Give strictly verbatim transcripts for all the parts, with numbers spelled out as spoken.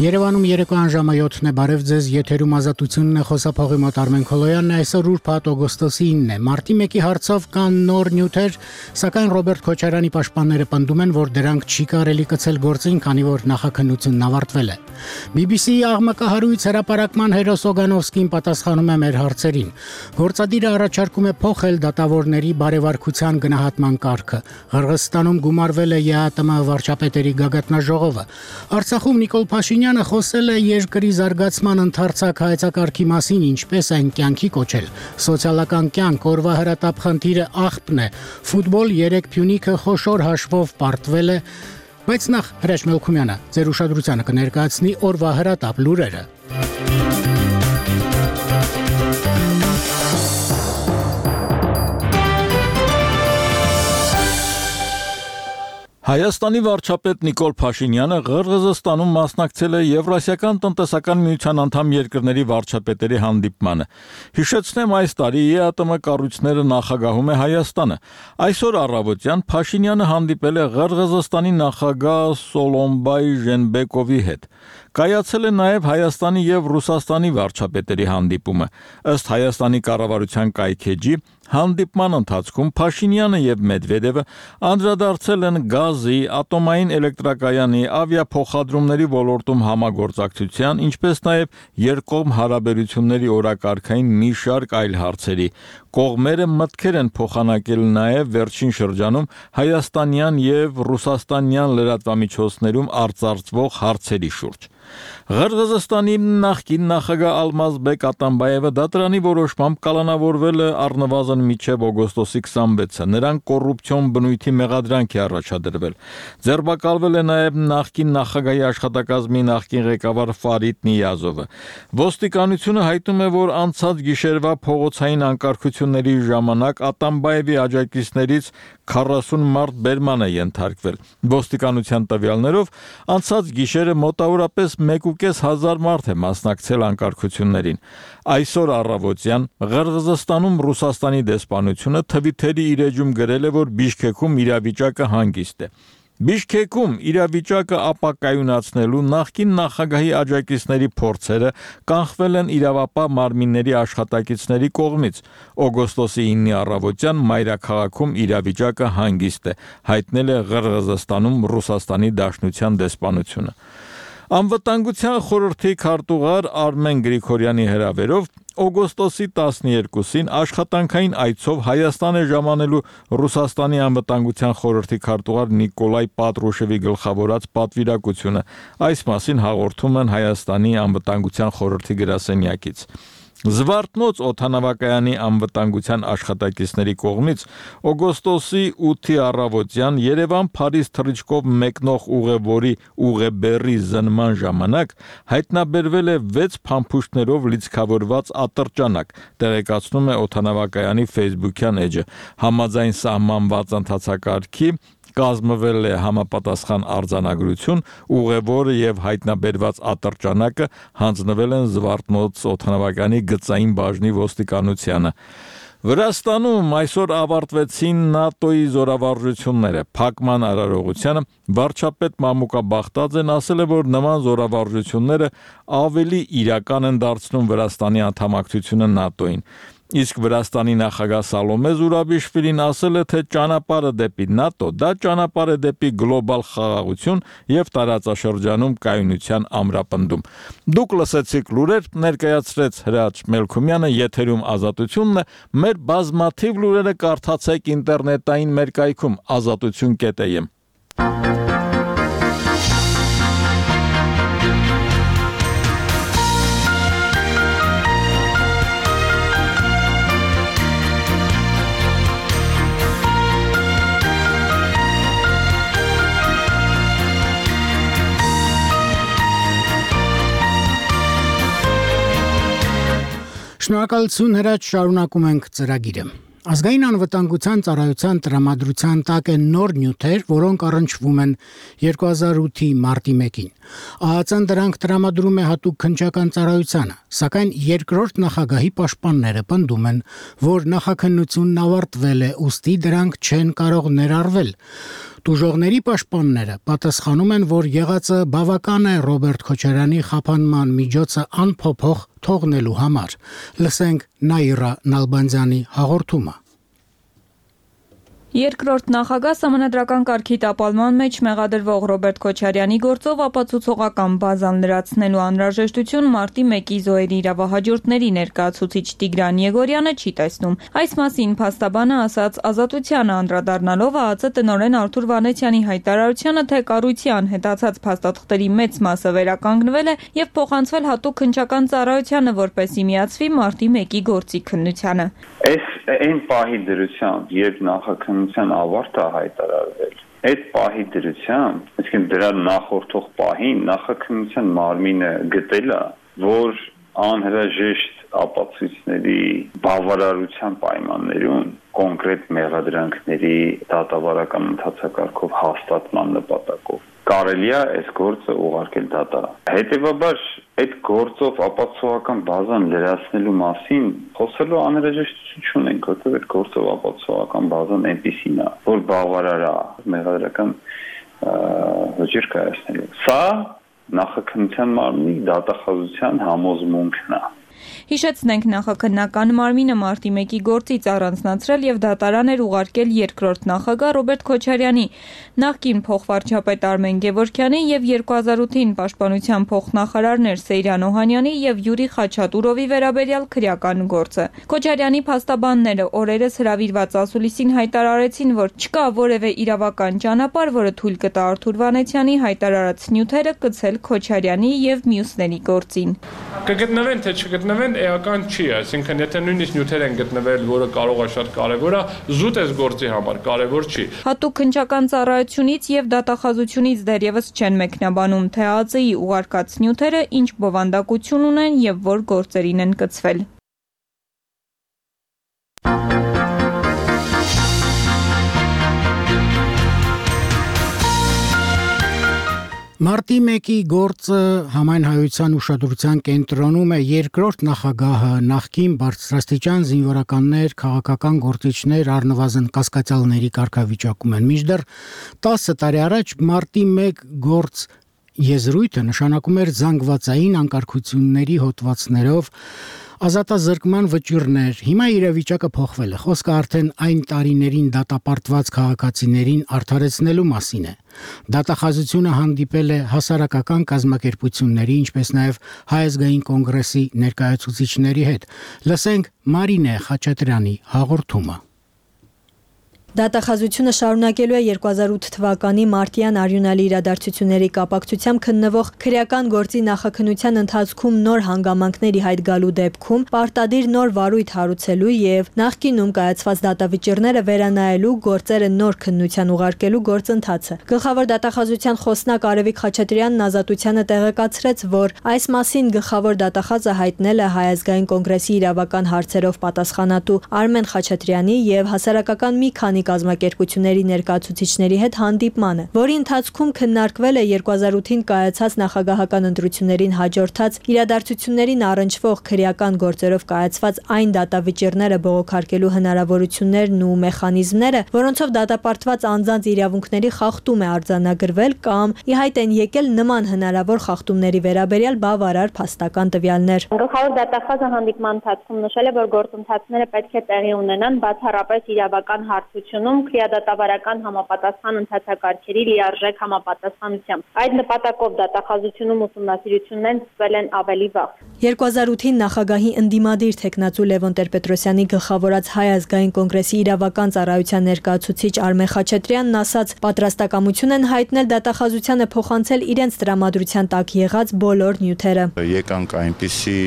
Երևանում երեկոյան ժամը յոթն է, բարև ձեզ, եթերում ազատությունն է, խոսափողի մոտ Արմեն Քոլոյանն է, այսօր ուրբաթ օգոստոսի ինն է, մարտի մեկի հարցով կան նոր նյութեր, սակայն Ռոբերտ Քոչարյանի պաշտպանները պնդում են, որ դրանք չի կարելի կցել գործին, քանի որ նախաքննությունն ավարտվել է։ բի բի սի-ի աղմկահարույց հրապարակման հերոս Օգանովսկին պատասխանում է մեր հարցերին։ Գործադիրը առաջարկում է փոխել դատավորների բարեվարկության գնահատման կարգը։ Ղրղըզստանում գումարվել է ԵԱՏՄ վարչապետերի գագաթնաժողովը։ Արցախում Նիկոլ Փաշինյանը խոսել է երկրի զարգացման ընդարձակ հայեցակարգի մասին, ինչպես այն կյանքի կոչել։ Սոցիալական կյանք օրվա հրատապ խնդիրը աղբն է։ Ֆուտբոլ երեք Փյունիկը խոշոր հաշվով պարտվել է, բայց նախ Հրաչ Մելքումյանը ձեր ուշադրությանը կներկայացնի օրվա հրատապ լուրերը։ Հայաստանի վարչապետ Նիկոլ Փաշինյանը Ղրղըզստանում մասնակցել է Եվրասիական տնտեսական միության անդամ երկրների վարչապետերի հանդիպմանը։ Հիշեցնեմ, այս տարի ԵԱՏՄ կառույցները նախագահում է Հայաստանը։ Այսօր առավոտյան Փաշինյանը հանդիպել է Ղրղըզստանի նախագահ Սոլոմբայ Ժենբեկովի հետ։ Կայացել է նաև Հայաստանի եւ Ռուսաստանի վարչապետերի հանդիպումը։ Ըստ Հայաստանի կառավարության կայքեջի, հանդիպման ընթացքում Փաշինյանը եւ Մեդվեդևը անդրադարձել են գազի, ատոմային էլեկտրակայանի, ավիափոխադրումների ոլորտում համագործակցության, ինչպես նաև երկկողմ հարաբերությունների օրակարգային մի շարք այլ հարցերի։ Կողմերը մտքեր են փոխանակել նաև վերջին շրջանում հայաստանյան եւ ռուսաստանյան լրատվամիջոցներում արձարծվող հարցերի շուրջ։ Ղրղըզստանի նախկին նախագահ Ալմազբեկ Ատամբաևը դատարանի որոշմամբ կալանավորվել է առնվազն մինչև օգոստոսի քսանվեցը։ Նրան կոռուպցիոն բնույթի մեղադրանք է առաջադրվել։ Ձերբակալվել է նաև նախկին նախագահի աշխատակազմի նախկին ղեկավար Ֆարիդ Նիազովը։ Ոստիկանությունը հայտնում է, որ անցած գիշերվա փողոցային անկարգությունների ժամանակ Ատամբաևի աջակիցներից քառասուն մարդ բերման է ենթարկվել։ Ոստիկանության տվյալներով անցած գիշերը մոտավորապես մեկ ու կես հազար մարդ է մասնակցել անկարգություններին։ Այսօր առավոտյան Ղրղըզստանում Ռուսաստանի դեսպանությունը Թվիթերի իր էջում գրել է, որ Բիշքեքում իրավիճակը հանգիստ է։ Բիշքեքում իրավիճակը ապակայունացնելու նախկին նախագահի աջակիցների փորձերը կանխվել են իրավապահ մարմինների աշխատակիցների կողմից։ Օգոստոսի ինի առավոտյան մայրաքաղաքում իրավիճակը հանգիստ է, հայտնել է Ղրղըզստանում Ռուսաստանի Դաշնության դեսպանությունը։ Անվտանգության խորհրդի քարտուղար Արմեն Գրիգորյանի հրավերով օգոստոսի տասներկուսին աշխատանքային այցով Հայաստան է ժամանելու Ռուսաստանի անվտանգության խորհրդի քարտուղար Նիկոլայ Պատրուշևի գլխավորած պատվիրակությունը։ Այս մասին հաղորդում են Հայաստանի անվտանգության խորհրդի գրասենյակից։ Զվարթնոց օդանավակայանի անվտանգության աշխատակիցների կողմից օգոստոսի ութի առավոտյան Երևան-Փարիզ թռիչքով մեկնող ուղևորի ուղեբեռի զննման ժամանակ հայտնաբերվել է վեց փամփուշտներով լիցքավորված ատրճանակ, տեղեկացնում է օդանավակայանի Facebook-յան էջը։ Համաձայն սահմանված ընթացակարգի կազմվել է համապատասխան արձանագրություն, ուղևորը եւ հայտնաբերված ատրճանակը հանձնվել են Զվարթնոց օդանավակայանի գծային բաժնի ոստիկանությանը։ Վրաստանում այսօր ավարտվեցին ՆԱՏՕ-ի զորավարժությունները։ Փակման արարողությանը վարչապետ Մամուկա Բախտաձեն ասել է, որ նման զորավարժությունները ավելի իրական են դարձնում Վրաստանի անդամակցությունը ՆԱՏՕ-ին։ Իսկ Վրաստանի նախագահ Սալոմե Զուրաբիշվիլին ասել է, թե ճանապարհը դեպի ՆԱՏՕ դա ճանապարհ է դեպի գլոբալ խաղաղություն եւ տարածաշրջանում կայունության ամրապնդում։ Դուք լսեցիք լուրեր, ներկայացրեց Հրաչ Մելքումյանը, եթերում ազատությունն է, մեր բազմաթիվ լուրերը կարդացեք ինտերնետային մեր կայքում ազատություն կետ է եմ։ Շնորհակալություն Հրաչ, շարունակում ենք ծրագիրը։ Ազգային անվտանգության ծառայության տրամադրության տակ են նոր նյութեր, որոնք առնչվում են երկու հազար ութի մարտի մեկին։ ԱԱԾ-ն դրանք տրամադրում է հատուկ քննչական ծառայությանը, սակայն երկրորդ նախագահի պաշտպանները պնդում են, որ նախաքննությունն ավարտվել է, ուստի դրանք չեն կարող ներառվել։ Տուժողների պաշտպանները պատասխանում են, որ եղածը բավական է Ռոբերտ Քոչարյանի խափանման միջոցը անփոփոխ թողնելու համար։ Լսենք Նաիրա Նալբանդյանի հաղորդումը։ Երկրորդ նախագահ Սահմանադրական կարգի տապալման մեջ մեղադրվող Ռոբերտ Քոչարյանի գործով ապացուցողական բազան լրացնելու անհրաժեշտություն մարտի մեկի զոհերի իրավահաջորդների ներկայացուցիչ Տիգրան Եգորյանը չի տեսնում։ Այս մասին փաստաբանը ասաց Ազատությանը անդրադառնալով ԱԱԾ տնօրեն Արթուր Վանեցյանի հայտարարությանը, թե կառույցի անհետացած փաստաթղթերի մեծ մասը վերականգնվել է եւ փոխանցվել հատուկ քննչական ծառայությանը, որպեսզի միացվի մարտի մեկի գործի քննությանը։ Այս այն պահի դրությամբ, երբ նախաքննության ավարտը հայտարարվել, այդ պահի դրությամբ, այսինքն դրա նախորդող պահին նախաքննության մարմինը գտել է, որ անհրաժեշտ ապացույցների բավարարության պայմաններում կոնկրետ մեղադրանքների դատավարական ընթացակարգով հաստատման նպատակով կարելի է այս գործը ուղարկել դատարան։ Հետևաբար այդ գործով ապացուցողական բազան լրացնելու մասին խոսելու անհրաժեշտություն չունենք, որովհետև այդ գործով ապացուցողական բազան այնպիսին է, որ բավարար է մեղադրական ոճիր կայացնելու։ Սա նախաքննության մարմնի դատախազության համոզմունքն է։ Հիշեցնենք, նախաքննական մարմինը մարտի մեկի գործից առանձնացրել եւ դատարան էր ուղարկել երկրորդ նախագահ Ռոբերտ Քոչարյանի, նախկին փոխվարչապետ Արմեն Գևորգյանի եւ երկու հազար ութին պաշտպանության փոխնախարարներ Սեյրան Օհանյանի եւ Յուրի Խաչատուրովի վերաբերյալ քրեական գործը։ Քոչարյանի փաստաբանները օրերս հրավիրված ասուլիսին հայտարարեցին, որ չկա որևէ իրավական ճանապարհ, որը թույլ կտա Արթուր Վանեցյանի հայտարարած նյութերը կցել Քոչարյանի եւ մյուսների գործին։ Կգտնվեն թե չգտնվեն էական չի, այսինքն եթե նույնիսկ նյութեր են գտնվել, որը կարող է շատ կարևոր է, զուտ էս գործի համար կարևոր չի։ Հատուկ քննչական ծառայությունից եւ դատախազությունից դեռևս չեն մեկնաբանում, թե ԱԱԾ-ի ուղարկած նյութերը ինչ բովանդակություն ունեն եւ որ գործերին են կցվել։ Մարտի մեկի գործը համայնհայության ուշադրության կենտրոնում է երկրորդ նախագահը, նախկին բարձրաստիճան զինվորականներ, քաղաքական գործիչներ, առնվազն կասկածյալների կարգավիճակում են։ Մինչդեռ տասը տարի առաջ մարտի մեկ գործ եզրույթը նշանակում էր զանգվածային անկարգությունների հոդվածներով ազատազրկման վճիռներ։ Հիմա իրավիճակը փոխվել է։ Խոսքը արդեն այն տարիներին դատապարտված քաղաքացիներին արդարեցնելու մասին է։ Դատախազությունը հանդիպել է հասարակական կազմակերպությունների, ինչպես նաև Հայ ազգային կոնգրեսի ներկայացուցիչների հետ։ Լսենք Մարինե Խաչատրյանի հաղորդումը։ Դատախազությունը շարունակելու է երկու հազար ութ թվականի մարտյան արյունալի իրադարձությունների կապակցությամբ քննվող քրեական գործի նախաքննության ընթացքում նոր հանգամանքների հայտ գալու դեպքում պարտադիր նոր վարույթ հարուցելու եւ նախկինում կայացված դատավճիռները վերանայելու գործերը նոր քննության ուղարկելու գործընթացը։ Գլխավոր դատախազության խոսնակ Արևիկ Խաչատրյանն Ազատությանը տեղեկացրեց, որ այս մասին գլխավոր դատախազը հայտնել է Հայ ազգային կոնգրեսի իրավական հարցերով պատասխանատու Արմեն Խաչատրյանի եւ հասարակական մի քանի կազմակերպությունների ներկայացուցիչների հետ հանդիպմանը, որի ընթացքում քննարկվել է երկու հազար ութին կայացած նախագահական ընտրություններին հաջորդած իրադարձություններին առնչվող քրեական գործերով կայացված այն դատավճիռները բողոքարկելու հնարավորություններն ու մեխանիզմները, որոնցով դատապարտված անձանց իրավունքների խախտում է արձանագրվել կամ ի հայտ են եկել նման հնարավոր խախտումների վերաբերյալ բավարար փաստական տվյալներ։ Գլխավոր դատախազը հանդիպման ընթացքում նշել է, որ գործընթացները պետք է տեղի ունենան բացառապես իրավական հարցությունում քրեադատավարական համապատասխան ընթացակարգերի լիարժեք համապատասխանությամբ։ Այդ նպատակով դատախազությունում ուսումնասիրություններն սկսվել են ավելի վաղ։ երկու հազար ութին նախագահի ընդդիմադիր թեկնածու Լևոն Տեր-Պետրոսյանի գլխավորած Հայ ազգային կոնգրեսի իրավական ծառայության ներկայացուցիչ Արմեն Խաչատրյանն ասաց, պատրաստակամություն են հայտնել դատախազությանը փոխանցել իրենց տրամադրության տակ եղած բոլոր նյութերը։ Եկանք այնպիսի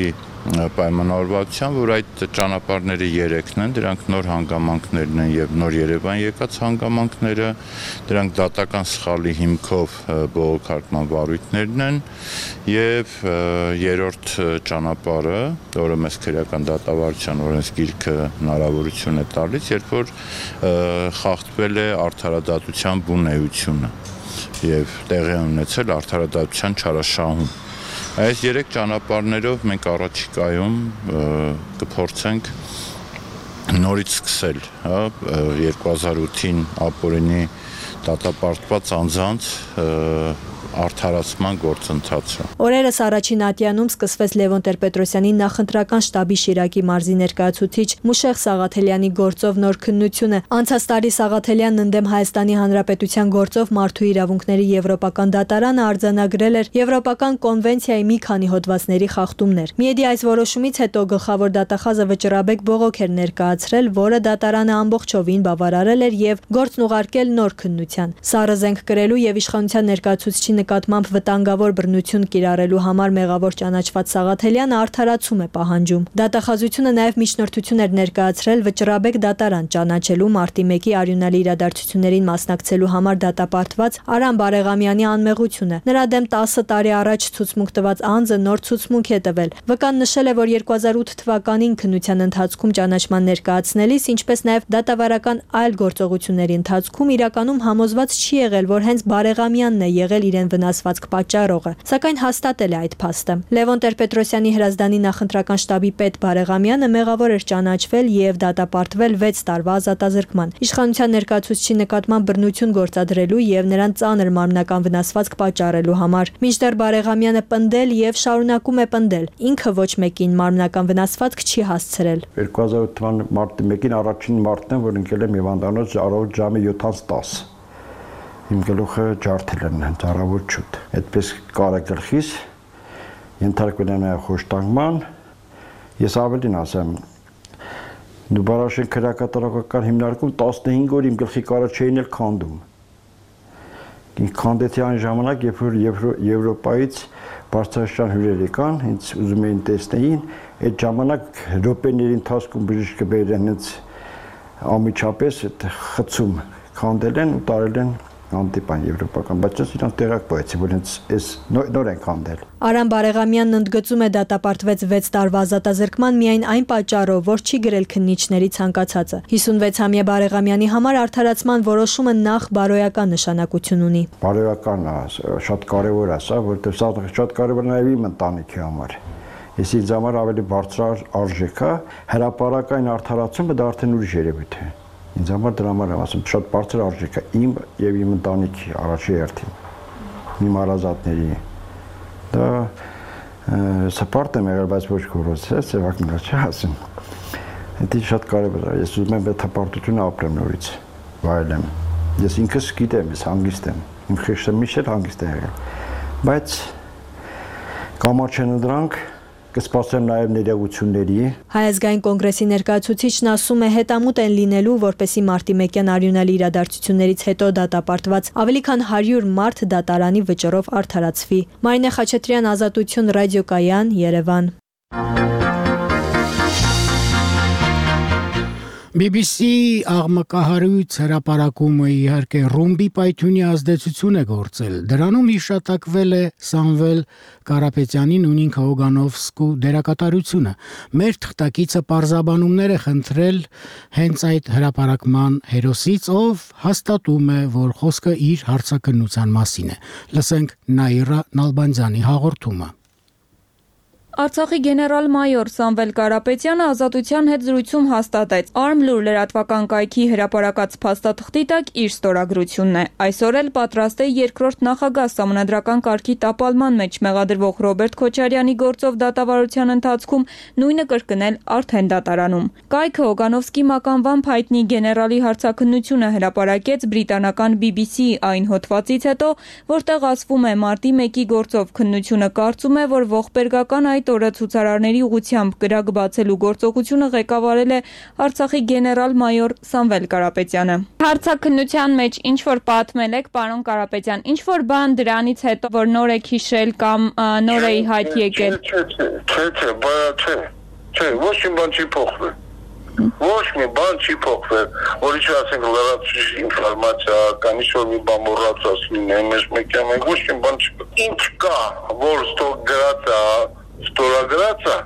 պայմանավորվածության, որ այդ ճանապարհները երեքն են, դրանք նոր հանգամանքներն են եւ նոր Երևան եկած հանգամանքները, դրանք դատական սխալի հիմքով բողոքարկման վարույթներն են եւ երրորդ ճանապարհը, որը մեզ քրեական դատավարության օրենսգիրքը հնարավորություն է տալիս, երբ որ խախտվել է արդարադատության բուն էությունը։ եւ տեղի ունեցել արդարադատության չարաշահում։ Այս երեք ճանապարհներով մենք առաջիկայում կփորձենք նորից սկսել, հա, երկու հազար ութին ապօրինի դատապարտված անձանց արդարացման գործընթացը։ Օրերս առաջին ատյանում սկսվեց Լևոն Տեր-Պետրոսյանի նախընտրական շտաբի Շիրակի մարզի ներկայացուցիչ Մուշեղ Սաղաթելյանի գործով նոր քննությունը։ Անցած տարի Սաղաթելյանն ընդդեմ Հայաստանի Հանրապետության գործով մարդու իրավունքների եվրոպական դատարանը արձանագրել էր Եվրոպական կոնվենցիայի մի քանի հոդվածների խախտումներ։ Միեդի այս որոշումից հետո գլխավոր դատախազը Վճռաբեկ Բողոք էր ներկայացրել, որը դատարանը ամբողջովին բավարարել էր եւ գործն ուղարկել նոր քննության։ Սառը զենք կրելու եւ իշխանության ներկայացուցիչի նկատմամբ վտանգավոր բռնություն կիրառելու համար մեղավոր ճանաչված Սաղաթելյանը արդարացում է պահանջում։ Դատախազությունը նաև միջնորդություն էր ներկայացրել Վճռաբեկ դատարան ճանաչելու մարտի մեկի արյունալի իրադարձություններին մասնակցելու համար դատապարտված Արամ Բարեղամյանի անմեղությունը։ Նրա դեմ տասը տարի առաջ ցուցմունք տված անձը նոր ցուցմունք է տվել։ Վկան նշել է, որ երկու հազար ութ թվականին քննության ընթացքում ճանաչման ներկայացնելիս, ինչպես նաև դատավարական այլ գործողությունների ընթացքում իրականում համոզված չի եղել, որ հենց Բարեղամյանն է եղել իրեն վնասվածք պատճառողը, սակայն հաստատել է այդ փաստը։ Լևոն Տեր-Պետրոսյանի հրազդանի նախընտրական շտաբի պետ Բարեղամյանը մեղավոր էր ճանաչվել եւ դատապարտվել վեց տարվա ազատազրկման։ Իշխանության ներկայացուցչի նկատմամբ բռնություն գործադրելու եւ նրան ծանր մարմնական վնասվածք պատճառելու համար։ Մինչդեռ Բարեղամյանը պնդել եւ շարունակում է պնդել, ինքը ոչ մեկին մարմնական վնասվածք չի հասցրել։ երկու հազար ութ թվականի մարտի մեկին առաջին մարտն եմ, որ ընկել եմ Հիվանդանոց առավոտ ժամը յոթից տասը։ Իմ գլուխը ջարդել են ծառավոտ շուտ։ Այդպես կարագլխից ենթարկվել են խոշտանգման։ Ես ավելին ասեմ, դու բարաշեն քրեակատարողական հիմնարկում տասնհինգ օր իմ գլխի կարա չէին էլ քանդում։ Ինձ քանդեցի այն ժամանակ, երբ որ Եվրոպայից բարձրաստիճան հյուրեր եկան, ինձ ուզում էին տեսնեին, այդ ժամանակ րոպեների ընթացքում բժիշկը բերել են ամիջապես այդ խցում քանդել են ու տարել են անտիպան եվրոպական, բայց ես իրանց տեղակ պահեցի, որ հենց այս նոր են քանդել։ Արամ Բարեղամյանն ընդգծում է դատապարտվեց վեց տարվա ազատազրկման միայն այն պատճառով, որ չի գրել քննիչների ցանկացածը։ հիսունվեցամյա Բարեղամյանի համար արդարացման որոշումը նախ բարոյական նշանակություն ունի։ Բարոյական շատ կարևոր է սա, որովհետև սա շատ կարևոր նաև իմ ընտանիքի համար։ Ես ինձ համար ավելի բարձր արժեք է, հրապարակային արդարացումը դա արդեն ուրիշ երևույթ է։ Ինձ համար դրա համար եմ ասում, շատ բարձր արժեք է իմ եւ իմ ընտանիքի առաջի հերթին, իմ հարազատների։ Դա սպորտ եմ եղել, բայց ոչ կորոց է, սևակնա չի ասում։ Դա շատ կարևոր է, ես ուզում եմ այդ հպարտությունը ապրեմ նորից, վայելեմ։ Ես ինքս գիտեմ, ես հանգիստ եմ, իմ խիղճը միշտ էլ հանգիստ է եղել, բայց կամաչեն դրանք կսպասեմ նաև ներողությունների։ Հայ ազգային կոնգրեսի ներկայացուցիչն ասում է հետամուտ են լինելու, որպեսզի մարտի մեկյան արյունալի իրադարձություններից հետո դատապարտված ավելի քան հարյուր մարդ դատարանի վճռով արդարացվի։ Մարինե Խաչատրյան, Ազատություն, ռադիոկայան, Երևան։ բի բի սի աղմկահարույց հրապարակումը իհարկե ռումբի պայթյունի ազդեցություն է գործել։ Դրանում հիշատակվել է Սամվել Կարապետյանի նույնինք Հոգանովսկու դերակատարությունը։ Մեր թղթակիցը պարզաբանումներ է խնդրել հենց այդ հրապարակման հերոսից, ով հաստատում է, որ խոսքը իր հարցաքննության մասին է։ Լսենք Նաիրա Նալբանդյանի հաղորդումը։ Արցախի գեներալ-մայոր Սամվել Կարապետյանը Ազատության հետ զրույցում հաստատեց Արմլուր լրատվական կայքի հրապարակած փաստաթղթի տակ իր ստորագրությունն է։ Այսօր էլ պատրաստ է երկրորդ նախագահ Սահմանադրական կարգի տապալման մեջ մեղադրվող Ռոբերտ Քոչարյանի գործով դատավարության ընթացքում նույնը կրկնել արդեն դատարանում։ Կայքը Հոգանովսկի մականվամբ հայտնի գեներալի հարցաքննությունը հրապարակեց բրիտանական բի բի սի այն հոդվածից հետո, որտեղ ասվում է մարտի մեկի գործով քննությունը կարծում է, որ ողբերգական այդ օրը ցուցարարների ուղղությամբ կրակ բացելու գործողությունը ղեկավարել է Արցախի գեներալ-մայոր Սամվել Կարապետյանը։ Հարցաքննության մեջ ինչ որ պատմել եք, պարոն Կարապետյան, ինչ որ բան դրանից հետո որ նոր եք հիշել կամ նոր է հայտ եկել։ Չէ, չէ, չէ, չէ, չէ, ոչ մի բան չի փոխվել։ Ոչ մի բան չի փոխվել, որ ինչ ասենք լրացուցիչ ինֆորմացիա կամ ինչ որ մի բան մոռացած լինի, մեզ մեկը մենք ոչ մի բան չի։ Ինչ կա, որ ստորագրած է, ստորագրած է,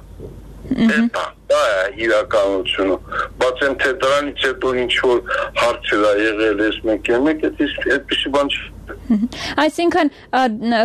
դա դա է իրականությունը։ Բայց այն թե դրանից հետո ինչ որ հարցեր ա եղել էս մեկը, մեկը այդպիսի բան չի։ Այսինքն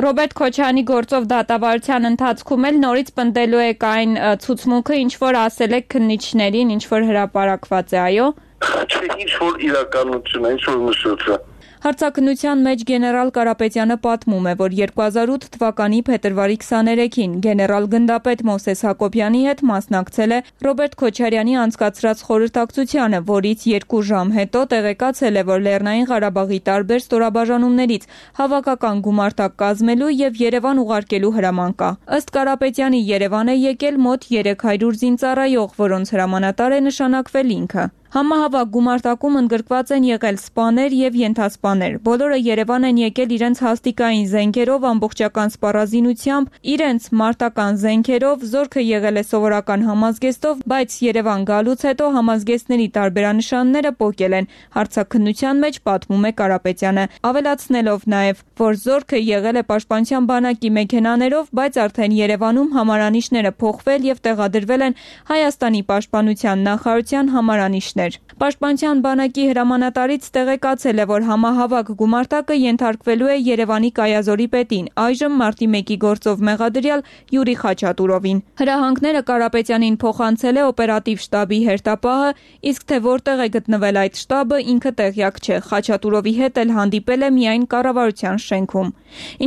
Ռոբերտ Քոչարյանի գործով դատավարության ընթացքում էլ նորից պնդելու եք այն ցուցմունքը, ինչ որ ասել եք քննիչներին, ինչ որ հրապարակված է, այո։ Չէ, ինչ որ իրականություն է, ինչ որ նշված է։ Հարցաքննության մեջ գեներալ Կարապետյանը պատմում է, որ երկու հազար ութ թվականի փետրվարի քսաներեքին գեներալ գնդապետ Մովսես Հակոբյանի հետ մասնակցել է Ռոբերտ Քոչարյանի անցկացրած խորհրդակցությանը, որից երկու ժամ հետո տեղեկացել է, որ Լեռնային Ղարաբաղի տարբեր ստորաբաժանումներից հավաքական գումարտակ կազմելու եւ Երևան ուղարկելու հրաման կա։ Ըստ Կարապետյանի Երևան է եկել մոտ երեք հարյուր զինծառայող, որոնց հրամանատար է նշանակվել ինքը։ Համահավաք գումարտակում ընդգրկված են եղել սպաներ եւ ենթասպաներ։ Բոլորը Երևան են եկել իրենց հաստիկային զենքերով, ամբողջական սպառազինությամբ, իրենց մարտական զենքերով, զորքը եղել է սովորական համազգեստով, բայց Երևան գալուց հետո համազգեստների տարբերանշանները պոկել են։ Հարցաքննության մեջ պատմում է Կարապետյանը, ավելացնելով նաեւ, որ զորքը եղել է պաշտպանության բանակի մեքենաներով, բայց արդեն Երևանում համարանիշները փոխվել եւ տեղադրվել են Հայաստանի պաշտպանության նախարարության համարանիշներ։ Պաշտպանության բանակի հրամանատարից տեղեկացել է, որ համահավաք գումարտակը ենթարկվելու է Երևանի կայազորի պետին, այժմ մարտի մեկի գործով մեղադրյալ Յուրի Խաչատուրովին։ Հրահանգները Կարապետյանին փոխանցել է օպերատիվ շտաբի հերթապահը, իսկ թե որտեղ է գտնվել այդ շտաբը, ինքը տեղյակ չէ։ Խաչատուրովի հետ էլ հանդիպել է միայն կառավարության շենքում։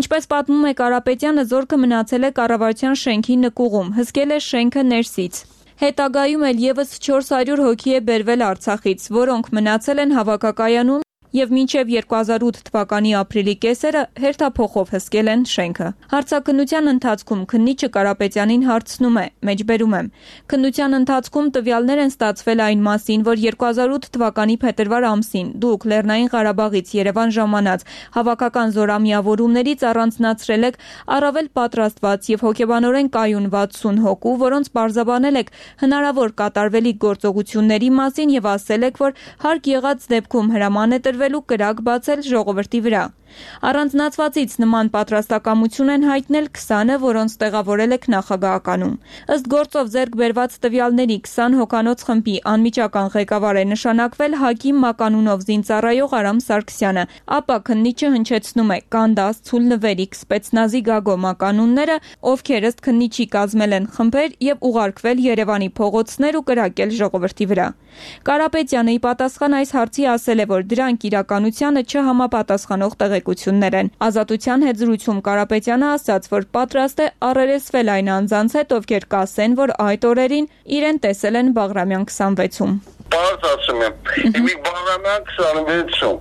Ինչպես պատմում է Կարապետյանը, զորքը մնացել է կառավարության շենքի նկուղում, հսկել է շենքը ներսից։ Հետագայում էլ եւս չորս հարյուր հոգի է բերվել Արցախից, որոնք մնացել են հավաքակայանում եւ մինչեւ երկու հազար ութ թվականի ապրիլի կեսերը հերթափոխով հսկել են շենքը։ Հարցաքննության ընթացքում քննիչը Կարապետյանին հարցնում է, մեջբերում եմ. քննության ընթացքում տվյալներ են ստացվել այն մասին, որ երկու հազար ութ թվականի փետրվար ամսին դուք Լեռնային Ղարաբաղից Երևան ժամանած հավաքական զորամիավորումներից առանձնացրել եք առավել պատրաստված եւ հոգեբանորեն կայուն վաթսուն հոգու, որոնց բարձաբանել եք հնարավոր կատարվելիք գործողությունների մասին եւ ասել եք, որ հարկ եղած դեպքում հրաման է տրվելու կրակ բացել ժողովրդի վրա։ Առանձնացվածից նման պատրաստակամություն են հայտնել քսանը, որոնց տեղավորել եք նախագահականում։ Ըստ գործով ձեռք բերված տվյալների քսան հոգանոց խմբի անմիջական ղեկավար է նշանակվել Հակիմ Մականունով զինծառայող Արամ Սարգսյանը, ապա քննիչը հնչեցնում է Կանդաս, Ցուլ Նվերիկ, Սպեցնազի Գագո Մականունները, ովքեր ըստ քննիչի կազմել են խմբեր եւ ուղարկվել Երևանի փողոցներ ու կրակել ժողովրդի վրա։ Կարապետյանը ի պատասխան այս հարցի ասել է, որ դրանք իրականությանը չհամապատասխանող տեղեկություններ են։ Ազատության հետ զրույցում Կարապետյանը ասաց, որ պատրաստ է առերեսվել այն անձանց հետ, ովքեր կասեն, որ այդ օրերին իրեն տեսել են Բաղրամյան քսանվեցում։ Պարզ ասում եմ, իմի Բաղրամյան քսանվեցում,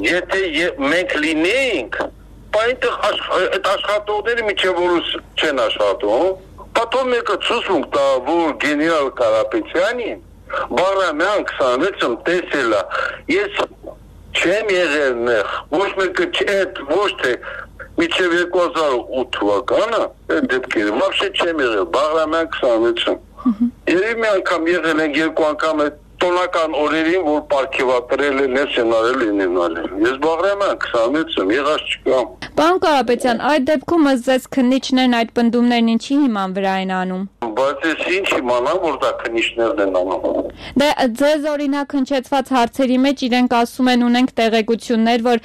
եթե մենք լինեինք, այնտեղ այդ աշխատողները միջև որս չեն աշխատում, պատով մեկը ցույց տա, որ գեներալ Կարապետյանին Բաղրամյան քսանվեցում տեսել է, ես չեմ եղել նեղ, ոչ մեկը չէ, ոչ թե միջև երկու հազար ութ թվականը, այդ դեպքերը, վաբշե չեմ եղել, Բաղրամյան քսանվեցում։ Երևի մի անգամ եղել են երկու անգամ այդ տոնական օրերին, որ պարգևատրել են, ներսենարել են ենալել։ Ես Բաղրամյան քսանվեցում, եղած չկամ։ Պարոն Կարապետյան, այդ դեպքում ըստ ձեզ քննիչներն այդ պնդումներն ինչի հիման վրա են անում։ Բայց ես ինչ իմանամ, որ դա քննիչներն են անում։ Դե ձեզ օրինակ հնչեցված հարցերի մեջ իրենք ասում են ունենք տեղեկություններ, որ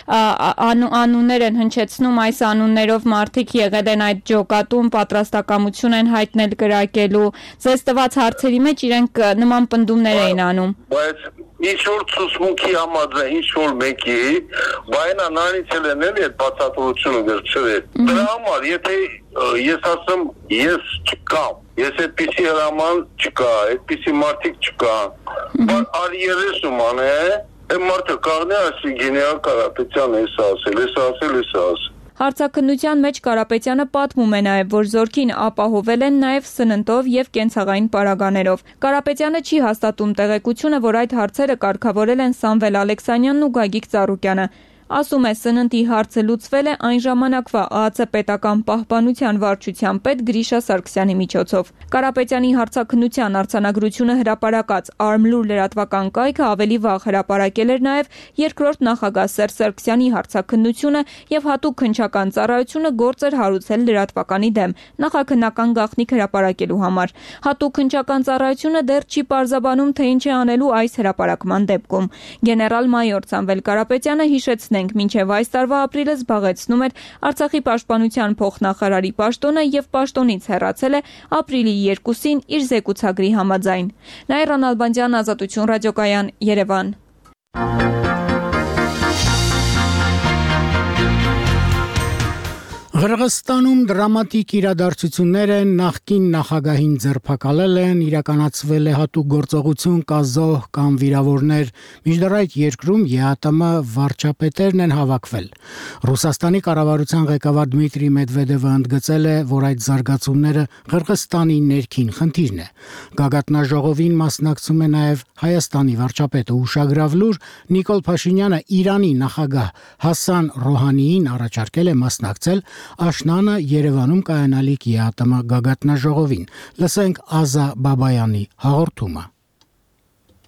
անուններ են հնչեցնում, այս անուններով մարդիկ եղել են այդ ջոկատում, պատրաստակամություն են հայտնել կրակելու։ Ձեզ տված հարցերի մեջ իրենք նման պնդումներ էին անում։ Բայց ինչ որ ցուցմունքի համաձայն, ինչ որ մեկի, բայնա նարից էլ են էլի այդ բացատրությունը վերցրել։ Դրա համար, եթե ես ասեմ, ես չկամ, ես այդպիսի հրաման չկա, այդպիսի մարդիկ չկա, բայց արի երեսում ան է, այդ մարդը կաղնի ասի գեներալ Կարապետյանը էս ասել, էս ասել, էս ասել։ Հարցաքննության մեջ Կարապետյանը պատմում է նաև, որ զորքին ապահովել են նաև սննդով եւ կենցաղային պարագաներով։ Կարապետյանը չի հաստատում տեղեկությունը, որ այդ հարցերը կարգավորել են Սամվել Ալեքսանյանն ու Գագիկ Ծառուկյանը։ Ասում է, սննդի հարցը լուծվել է այն ժամանակվա ԱԱՑ պետական պահպանության վարչության պետ Գրիշա Սարգսյանի միջոցով։ Կարապետյանի հարցաքննության արձանագրությունը հրապարակած Արմլուր լրատվական կայքը ավելի վաղ հրապարակել էր նաև երկրորդ նախագահ Սերժ Սարգսյանի հարցաքննությունը եւ հատուկ քննչական ծառայությունը գործ էր հարուցել լրատվականի դեմ նախաքննական գաղտնիք հրապարակելու համար։ Հատուկ քննչական ծառայությունը դեռ չի պարզաբանում, թե ինչ է անելու այս հրապարակման դեպքում։ Գեներալ մայոր Սամվել Կարապետյանը հիշեց Հիշեցնենք, մինչև այս տարվա ապրիլը զբաղեցնում էր Արցախի պաշտպանության փոխնախարարի պաշտոնը եւ պաշտոնից հեռացել է ապրիլի երկուսին իր զեկուցագրի համաձայն։ Նաիրա Նալբանդյան, Ազատություն ռադիոկայան, Երևան։ Ղրղստանում դրամատիկ իրադարձություններ են, նախկին նախագահին ձերբակալել են, իրականացվել է հատուկ գործողություն, կա զոհ կամ վիրավորներ, մինչդեռ այդ երկրում ԵԱՏՄ վարչապետերն են հավաքվել։ Ռուսաստանի կառավարության ղեկավար Դմիտրի Մեդվեդևը ընդգծել է, որ այդ զարգացումները Ղրղստանի ներքին խնդիրն է։ Գագաթնաժողովին մասնակցում է նաև Հայաստանի վարչապետը։ Ուշագրավ լուր Նիկոլ Փաշինյանը Իրանի նախագահ Հասան Ռոհանիին առաջարկել է մասնակցել Աշնանը Երևանում կայանալիք ԵԱՏՄ գագաթնաժողովին։ Լսենք Ազա Բաբայանի հաղորդումը։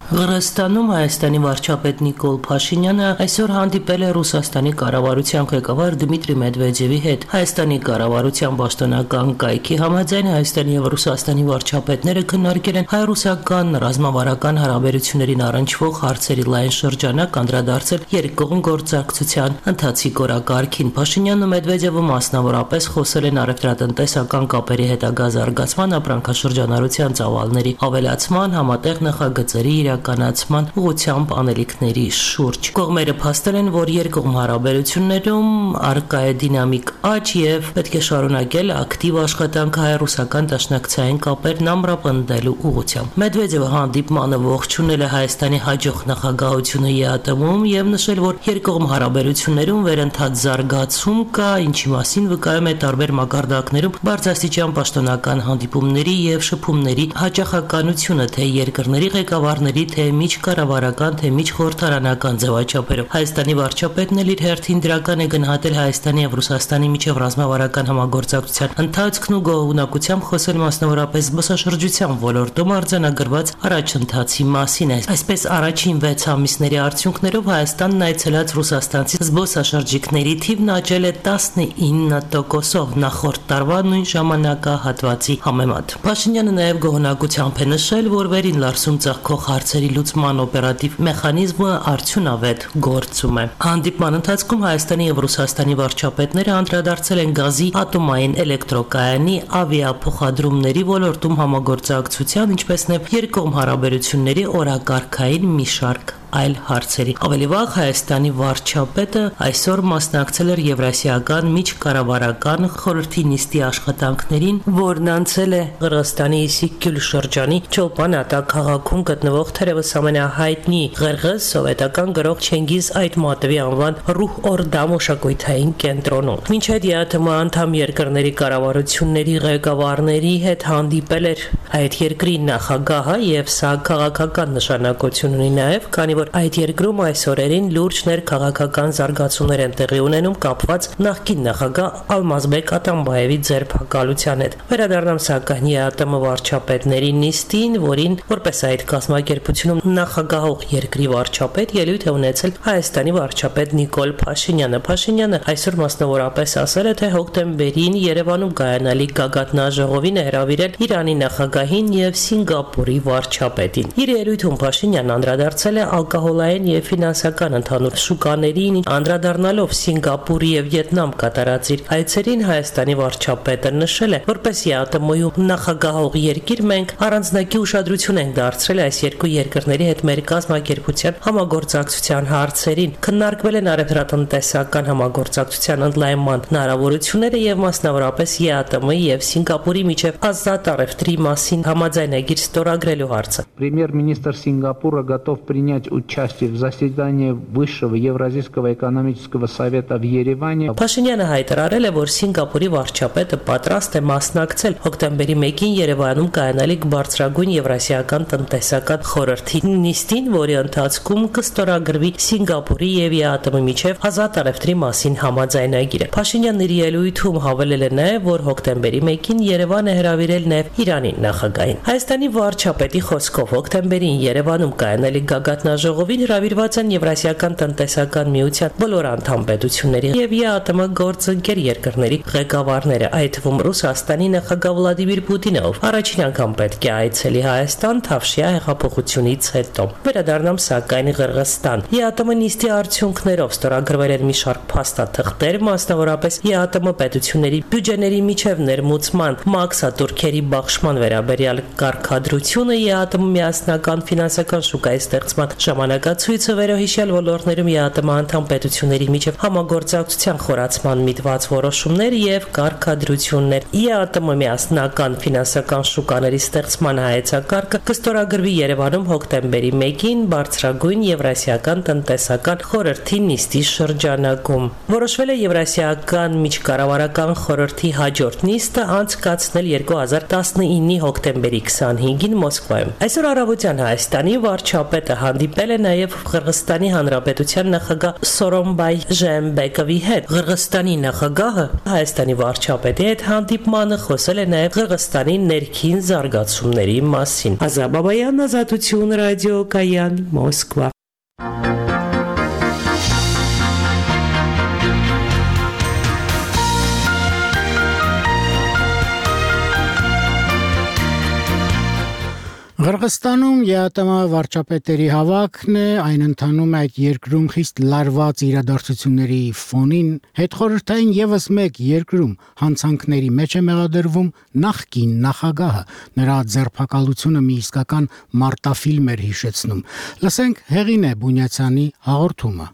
Ղրղստանում Հայաստանի վարչապետ Նիկոլ Փաշինյանը այսօր հանդիպել է Ռուսաստանի կառավարության ղեկավար Դմիտրի Մեդվեդևի հետ։ Հայաստանի կառավարության պաշտոնական կայքի համաձայն Հայաստանի եւ Ռուսաստանի վարչապետները քննարկել են հայ-ռուսական ռազմավարական հարաբերություններին առնչվող հարցերի լայն շրջանակ, անդրադարձել երկկողմ գործակցության ընթացիկ օրակարգին։ Փաշինյանն ու Մեդվեդևը մասնավորապես խոսել են առևտրատնտեսական կապերի հետագա զարգացման, ապրանքաշրջանառության ծավալների ավելացման, համատեղ նախագծերի իրականացման ուղղությամբ անելիքների շուրջ։ Կողմերը փաստել են, որ երկկողմ հարաբերություններում առկա է դինամիկ աճ եւ պետք է շարունակել ակտիվ աշխատանք հայ-ռուսական դաշնակցային կապերն ամրապնդելու ուղղությամբ։ Մեդվեդևը հանդիպմանը ողջունել է Հայաստանի հաջող նախագահությունը ԵԱՏՄ-ում եւ նշել, որ երկկողմ հարաբերություններում վերընթաց զարգացում կա, ինչի մասին վկայում է տարբեր մակարդակներում բարձրաստիճան պաշտոնական հանդիպումների եւ շփումների հաճախականությունը, թե երկրների ղեկավարների թե միջկառավարական, թե միջխորհրդարանական ձևաչափերով։ Հայաստանի վարչապետն էլ իր հերթին դրական է գնահատել Հայաստանի եւ Ռուսաստանի միջև ռազմավարական համագործակցության ընթացքն ու գոհունակությամբ խոսել մասնավորապես զբոսաշրջության ոլորտում արձանագրված առաջընթացի մասին։ Այսպես առաջին վեց ամիսների արդյունքներով Հայաստանն այցելած ռուսաստանցի զբոսաշրջիկների թիվն աճել է տասնինը տոկոսով նախորդ տարվա նույն ժամանակահատվածի համեմատ։ Փաշինյանը նաեւ գոհունակությամբ է նշել, որ վերին Լարսում ծաղկող հարցերի լուծման օպերատիվ մեխանիզմը արդյունավետ գործում է։ Հանդիպման ընթացքում Հայաստանի եւ Ռուսաստանի վարչապետները անդրադարձել են գազի, ատոմային էլեկտրոկայանի, ավիափոխադրումների ոլորտում համագործակցության, ինչպես նաեւ երկկողմ հարաբերությունների օրակարգային մի շարք այլ հարցերի։ Ավելի վաղ Հայաստանի վարչապետը այսօր մասնակցել էր Եվրասիական միջկառավարական խորհրդի նիստի աշխատանքներին, որն անցել է Ղրղստանի Իսիքգյուլ շրջանի Չոլպան-Ատա քաղաքում գտնվող թերևս ամենահայտնի ղրղըզ սովետական գրող Չենգիզ Այթմատովի անվան Ռուհ Օրդա մշակութային կենտրոնում։ Մինչ այդ ԵԱՏՄ անդամ երկրների կառավարությունների ղեկավարների հետ հանդիպել էր այդ երկրի նախագահը եւ սա քաղաքական նշանակություն ունի նաեւ, քանի որ այդ երկրում այս օրերին լուրջ ներքաղաքական զարգացումներ են տեղի ունենում կապված նախկին նախագահ Ալմազբեկ Ատամբաևի ձերբակալության հետ։ Վերադառնամ սակայն ԵԱՏՄ վարչապետների նիստին, որին որպես այդ կազմակերպությունում նախագահող երկրի վարչապետ ելույթ է ունեցել Հայաստանի վարչապետ Նիկոլ Փաշինյանը։ Փաշինյանը այսօր մասնավորապես ասել է, թե հոկտեմբերին Երևանում կայանալիք գագաթնաժողովին է հրավիրել Իրանի նախագահին եւ Սինգապուրի վարչապետին։ Իր ելույթում Փաշինյանն անդրադարձել է ալկոհոլային եւ ֆինանսական ընդհանուր շուկաներին, անդրադառնալով Սինգապուրի եւ Վիետնամ կատարած իր այցերին Հայաստանի վարչապետը նշել է, որպես ԵԱՏՄ-ում նախագահող երկիր մենք առանձնակի ուշադրություն ենք դարձրել այս երկու երկրների հետ մեր կազմակերպության համագործակցության հարցերին, քննարկվել են առևտրատնտեսական համագործակցության ընդլայնման հնարավորությունները եւ մասնավորապես ԵԱՏՄ-ի եւ Սինգապուրի միջև ազատ առևտրի մասին համաձայնագիր ստորագրելու հարցը։ Премьер-министр Сингапура готов принять участие в заседании Высшего Евразийского экономического совета в Ереване։ Փաշինյանը հայտարարել է, որ Սինգապուրի վարչապետը պատրաստ է մասնակցել հոկտեմբերի մեկին Երևանում կայանալիք բարձրագույն Եվրասիական տնտեսական խորհրդի նիստին, որի ընթացքում կստորագրվի Սինգապուրի եւ ԵԱՏՄ-ի միջև ազատ առևտրի մասին համաձայնագիրը։ Փաշինյանն իր ելույթում հավելել է նաեւ, որ հոկտեմբերի մեկին Երևան է հրավիրել նաեւ Իրանի նախագահին։ Հայաստանի վարչապետի խոսքով հոկտեմբերին Երևանում կայանալիք գագաթնաժողովի հանձնաժողովին հրավիրված են Եվրասիական տնտեսական միության բոլոր անդամ պետությունների եւ ԵԱՏՄ գործընկեր երկրների ղեկավարները, այդ թվում Ռուսաստանի նախագահ Վլադիմիր Պուտինով առաջին անգամ պետք է այցելի Հայաստան Թավշյա հեղափոխությունից հետո։ Վերադառնամ սակայն Ղրղստան։ ԵԱՏՄ նիստի արդյունքներով ստորագրվել են մի շարք փաստաթղթեր, մասնավորապես ԵԱՏՄ պետությունների բյուջեների միջև ներմուծման մաքսատուրքերի բաշխման վերաբերյալ կարգադրությունը, ԵԱՏՄ միասնական ֆինանսական շուկայի ստեղծման ժամանակացույցը, վերոհիշյալ ոլորտներում ԵԱՏՄ անդամ պետությունների միջև համագործակցության խորացման միտված որոշումներ եւ կարգադրություններ։ ԵԱՏՄ միասնական ֆինանսական շուկաների ստեղծման հայեցակարգը կստորագրվի Երևանում հոկտեմբերի մեկին բարձրագույն Եվրասիական տնտեսական խորհրդի նիստի շրջանակում։ Որոշվել է Եվրասիական միջկառավարական խորհրդի հաջորդ նիստը անցկացնել երկու հազար տասնինի հոկտեմբերի քսանհինգին Մոսկվայում։ Այսօր առավոտյան Հայաստանի վարչապետը հանդիպել է նաև Ղրղստանի Հանրապետության նախագահ Սորոմբայ Ժեմբեկովի հետ։ Ղրղստանի նախագահը Հայաստանի վարչապետի հետ հանդիպմանը խոսել է նաև Ղրղստանի ներքին զարգացումների մասին։ Ազատ Բաբայան, Ազատություն, ռադիո Կայան, Մոսկվա։ Ղրղստանում ԵԱՏՄ վարչապետերի հավաքն է, այն ընթանում է այդ երկրում խիստ լարված իրադարձությունների ֆոնին, հետխորհրդային եւս մեկ երկրում հանցանքների մեջ է մեղադրվում նախկին նախագահը, նրա ձերբակալությունը մի իսկական մարտաֆիլմ էր հիշեցնում։ Լսենք Հեղինե Բունյացյանի հաղորդումը։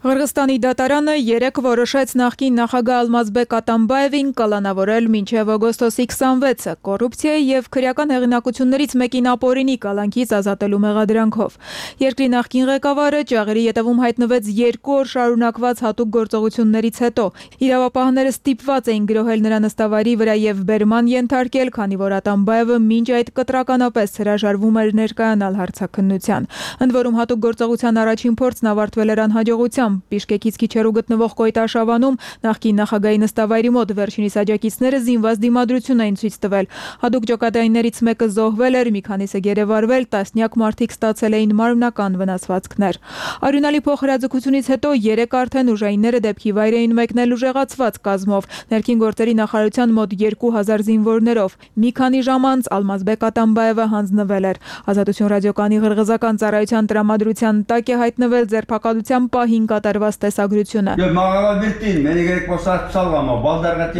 Ղրղստանի դատարանը երեկ որոշեց նախկին նախագահ Ալմազբեկ Ատամբաևին կալանավորել մինչև օգոստոսի քսանվեցը կոռուպցիայի եւ քրեական հեղինակություններից մեկին ապօրինի կալանքից ազատելու մեղադրանքով։ Երկրի նախկին ղեկավարը ճաղերի ետևում հայտնվեց երկու օր շարունակված հատուկ գործողություններից հետո։ Իրավապահները ստիպված էին գրոհել նրա նստավայրի վրա եւ բերման ենթարկել, քանի որ Ատամբաևը մինչ այդ կտրականապես հրաժարվում էր ներկայանալ հարցաքննության։ Ընդ որում հատուկ գործողության առաջին փորձն ավարտվել էր անհաջողությամբ։ Բիշկեկից քիչ հեռու գտնվող Կոյտաշավանում նախկին նախագահի նստավայրի մոտ վերջինիս աջակիցները զինված դիմադրություն էին ցույց տվել։ Հատուկ ջոկատայիններից մեկը զոհվել էր, մի քանիսը գերեվարվել, տասնյակ մարդիկ ստացել էին մարմնական վնասվածքներ։ Արյունալի փոխհրաձգությունից հետո երեք արդեն ուժայինները դեպքի վայր էին մեկնել ուժեղացված կազմով, ներքին գործերի նախարարության մոտ երկու հազար զինվորներով։ Մի քանի ժամ անց Ալմազբեկ Ատամբաևը հանձնվել էր։ Ազատություն ռադիոկայանի ղրղզական ծառայության տրամադրության տակ է հայտնվել ձերբակալության պահին կատարված տեսագրությունը։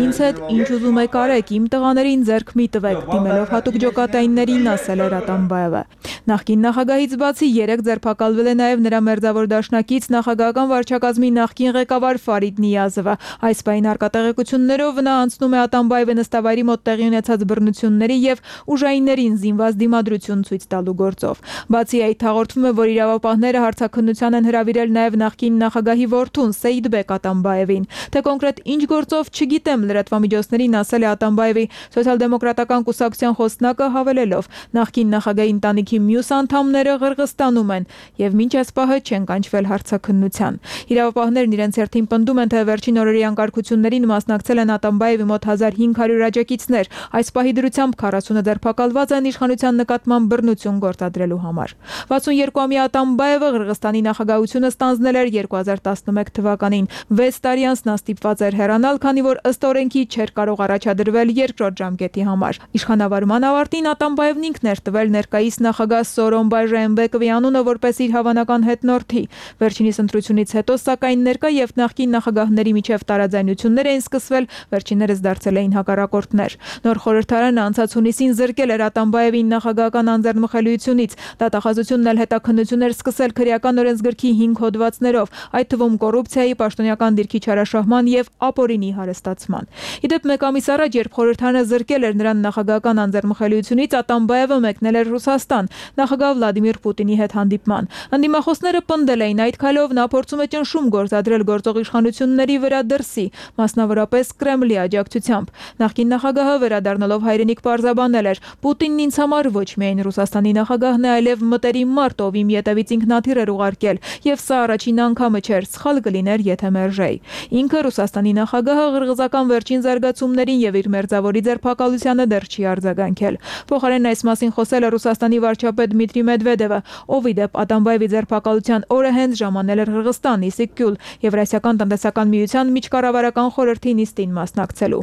Ինձ հետ ինչ ուզում եք արեք, իմ տղաներին ձեռք մի տվեք, դիմելով հատուկ ջոկատայիններին ասել էր Ատամբաևը։ Նախկին նախագահից բացի երեք ձերբակալվել է նաև նրա մերձավոր դաշնակից նախագահական վարչակազմի նախկին ղեկավար Ֆարիդ Նիազովը։ Այս պահին արկատեղեկություններով նա անցնում է Ատամբաևի նստավայրի մոտ տեղի ունեցած բռնությունների եւ ուժայիններին զինված դիմադրություն ցույց տալու գործով։ Բացի այդ հաղորդվում է, որ իրավապահները հարցաքննության են հրավիրել նաև նախկին նախագահի որդուն Սեյդբեկ Ատամբաևին։ Թե կոնկրետ ինչ գործով չգիտեմ, լրատվամիջոցներին ասել է Ատամբաևի սոցիալ-դեմոկրատական կուսակցության խոսնակը, հավելելով. նախկին նախագահի ընտանիքի մյուս անդամները Ղրղստանում են եւ մինչ այս պահը չեն կանչվել հարցաքննության։ Իրավապահներն իրենց հերթին պնդում են, թե վերջին օրերի անկարգություններին մասնակցել են Ատամբաևի մոտ հազար հինգ հարյուր աջակիցներ։ Այս պահի դրությամբ քառասունը ձերբակալված են իշխանության նկատմամբ բռնություն գործադրելու համար։ վաթսունյոթ-ամյա Ատամբաևը Ղրղստանի նախագահությունը ստանձնել էր երկու հազար տասնմեկ թվականին։ վեց տարի անց նա ստիպված էր հեռանալ, քանի որ ըստ օրենքի չէր կարող առաջադրվել երկրորդ ժամկետի համար։ Իշխանավարման ավարտին Ատամբաևն ինքն էր տվել ներկայիս նախագահ Սորոմբայ Ժեմբեկովի անունը որպես իր հավանական հետնորդի։ Վերջինիս ընտրությունից հետո սակայն ներկա եւ նախկին նախագահների միջև տարաձայնություններ էին սկսվել, վերջիններս դարձել էին հակառակորդներ։ Նոր խորհրդարանը անցած հունիսին զրկել էր Ատամբաևին նախագահական անձեռնմխելիությունից։ Դատախազությունն էլ հետաքննություններ սկսել քրեական օրենսգրքի հինգ հոդվածներով, այդ թվում կոռուպցիայի, պաշտոնյական դիրքի չարաշահման եւ ապօրինի հարստացման։ Իդեպ մեկ ամիս առաջ, երբ խորհրդարանը զրկել էր նրան նախագահական անձեռնմխելիությունից, Ատամբաևը մեկնել էր Ռուսաստան նախագահ Վլադիմիր Պուտինի հետ հանդիպման։ Ընդդիմախոսները պնդել էին, այդ քայլով նա փորձում է ճնշում գործադրել գործող իշխանությունների վրա դրսի, մասնավորապես Կրեմլի աջակցությամբ։ Նախկին նախագահը վերադառնալով հայրենիք պարզաբանել էր. Պուտինն ինձ համար ոչ միայն Ռուսաստանի նախագահն է, այլև մտերիմ մարդ, ով իմ ետևից ինքնաթիռ էր ուղարկել, եւ սա առաջին անգամը չէր, սխալ կլիներ, եթե մերժեի։ Ինքը Ռուսաստանի նախագահը ղրղզական վերջին զարգացումներին եւ իր մերձավորի ձերբակալությանը դեռ չի արձագանքել։ Փոխարենն այս մասին խոսել է Ռուսաստանի վարչապետ Դմիտրի Մեդվեդևը, ով ի դեպ Ատամբաևի ձերբակալության օրը հենց ժամանել էր Ղրղստան, Իսիկ Գյուլ, Եվրասիական տնտեսական միության միջկառավարական խորհրդի նիստին մասնակցելու։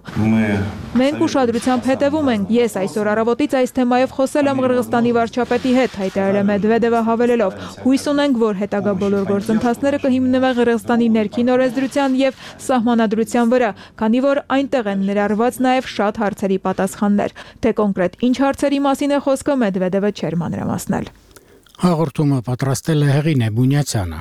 Մենք ուշադրությամբ հետևում ենք։ Ես այսօր առավոտից այս թեմայով խոսել եմ Ղրղստանի վարչապետի հետ, հայտարարել է Մեդվեդևը հավելելով. հույս ունենք, որ հետագա բոլոր գործընթացները կհիմնվեն Ղրղստանի ներքին օրենսդրության եւ սահմանադրության վրա, քանի որ այնտեղ են ներառված նաեւ շատ հարցերի պատասխաններ։ Թե կոնկրետ ինչ հարցերի մասին է խոսքը, Մեդվեդևը չէր մանրամասնել։ Հաղորդումը պատրաստել է Հեղինե Բունյացյանը։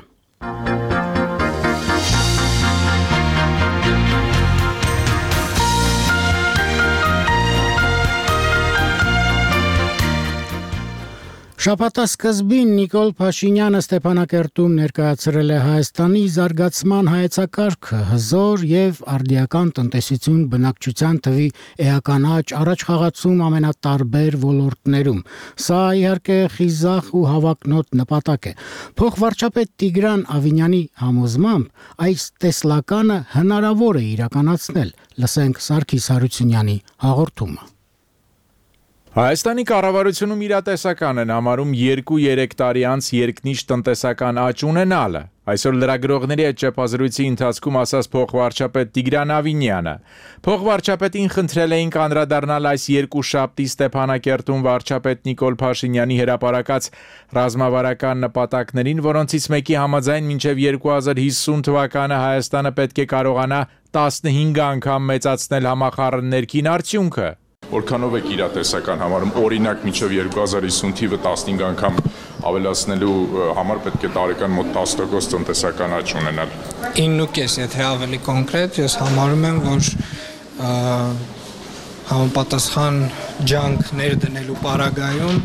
Շաբաթասկզբին Նիկոլ Փաշինյանը Ստեփանակերտում ներկայացրել է Հայաստանի զարգացման հայեցակարգը, հզոր եւ արդիական տնտեսություն բնակչության թվի էական աճ առաջ խաղացում ամենատարբեր ոլորտներում։ Սա իհարկե խիզախ ու հավակնոտ նպատակ է։ Փոխվարչապետ Տիգրան Ավինյանի համոզմամբ այս տեսլականը հնարավոր է իրականացնել։ Լսենք Սարգիս Հարությունյանի հաղորդումը։ Հայաստանի կառավարությունում իրատեսական են համարում երկու-երեք տարի անց երկնիշ տնտեսական աճ ունենալը։ Այսօր լրագրողների հետ ճեպազրույցի ընթացքում ասաց փոխվարչապետ Տիգրան Ավինյանը։ Փոխվարչապետին խնդրել էինք անդրադառնալ այս երկուշաբթի Ստեփանակերտում վարչապետ Նիկոլ Փաշինյանի հրապարակած ռազմավարական նպատակներին, որոնցից մեկի համաձայն մինչև երկու հազար հիսուն թվականը Հայաստանը պետք է կարողանա տասնհինգ անգամ մեծացնել համախառն ներքին արդյունքը։ Որքանով եք իրատեսական համարում, օրինակ մինչև երկու հազար հիսուն թիվը տասնհինգ անգամ ավելացնելու համար պետք է տարեկան մոտ տասը տոկոս տնտեսական աճ ունենալ։ ինը կես, եթե ավելի կոնկրետ, ես համարում եմ, որ համապատասխան ջանք ներդնելու պարագայում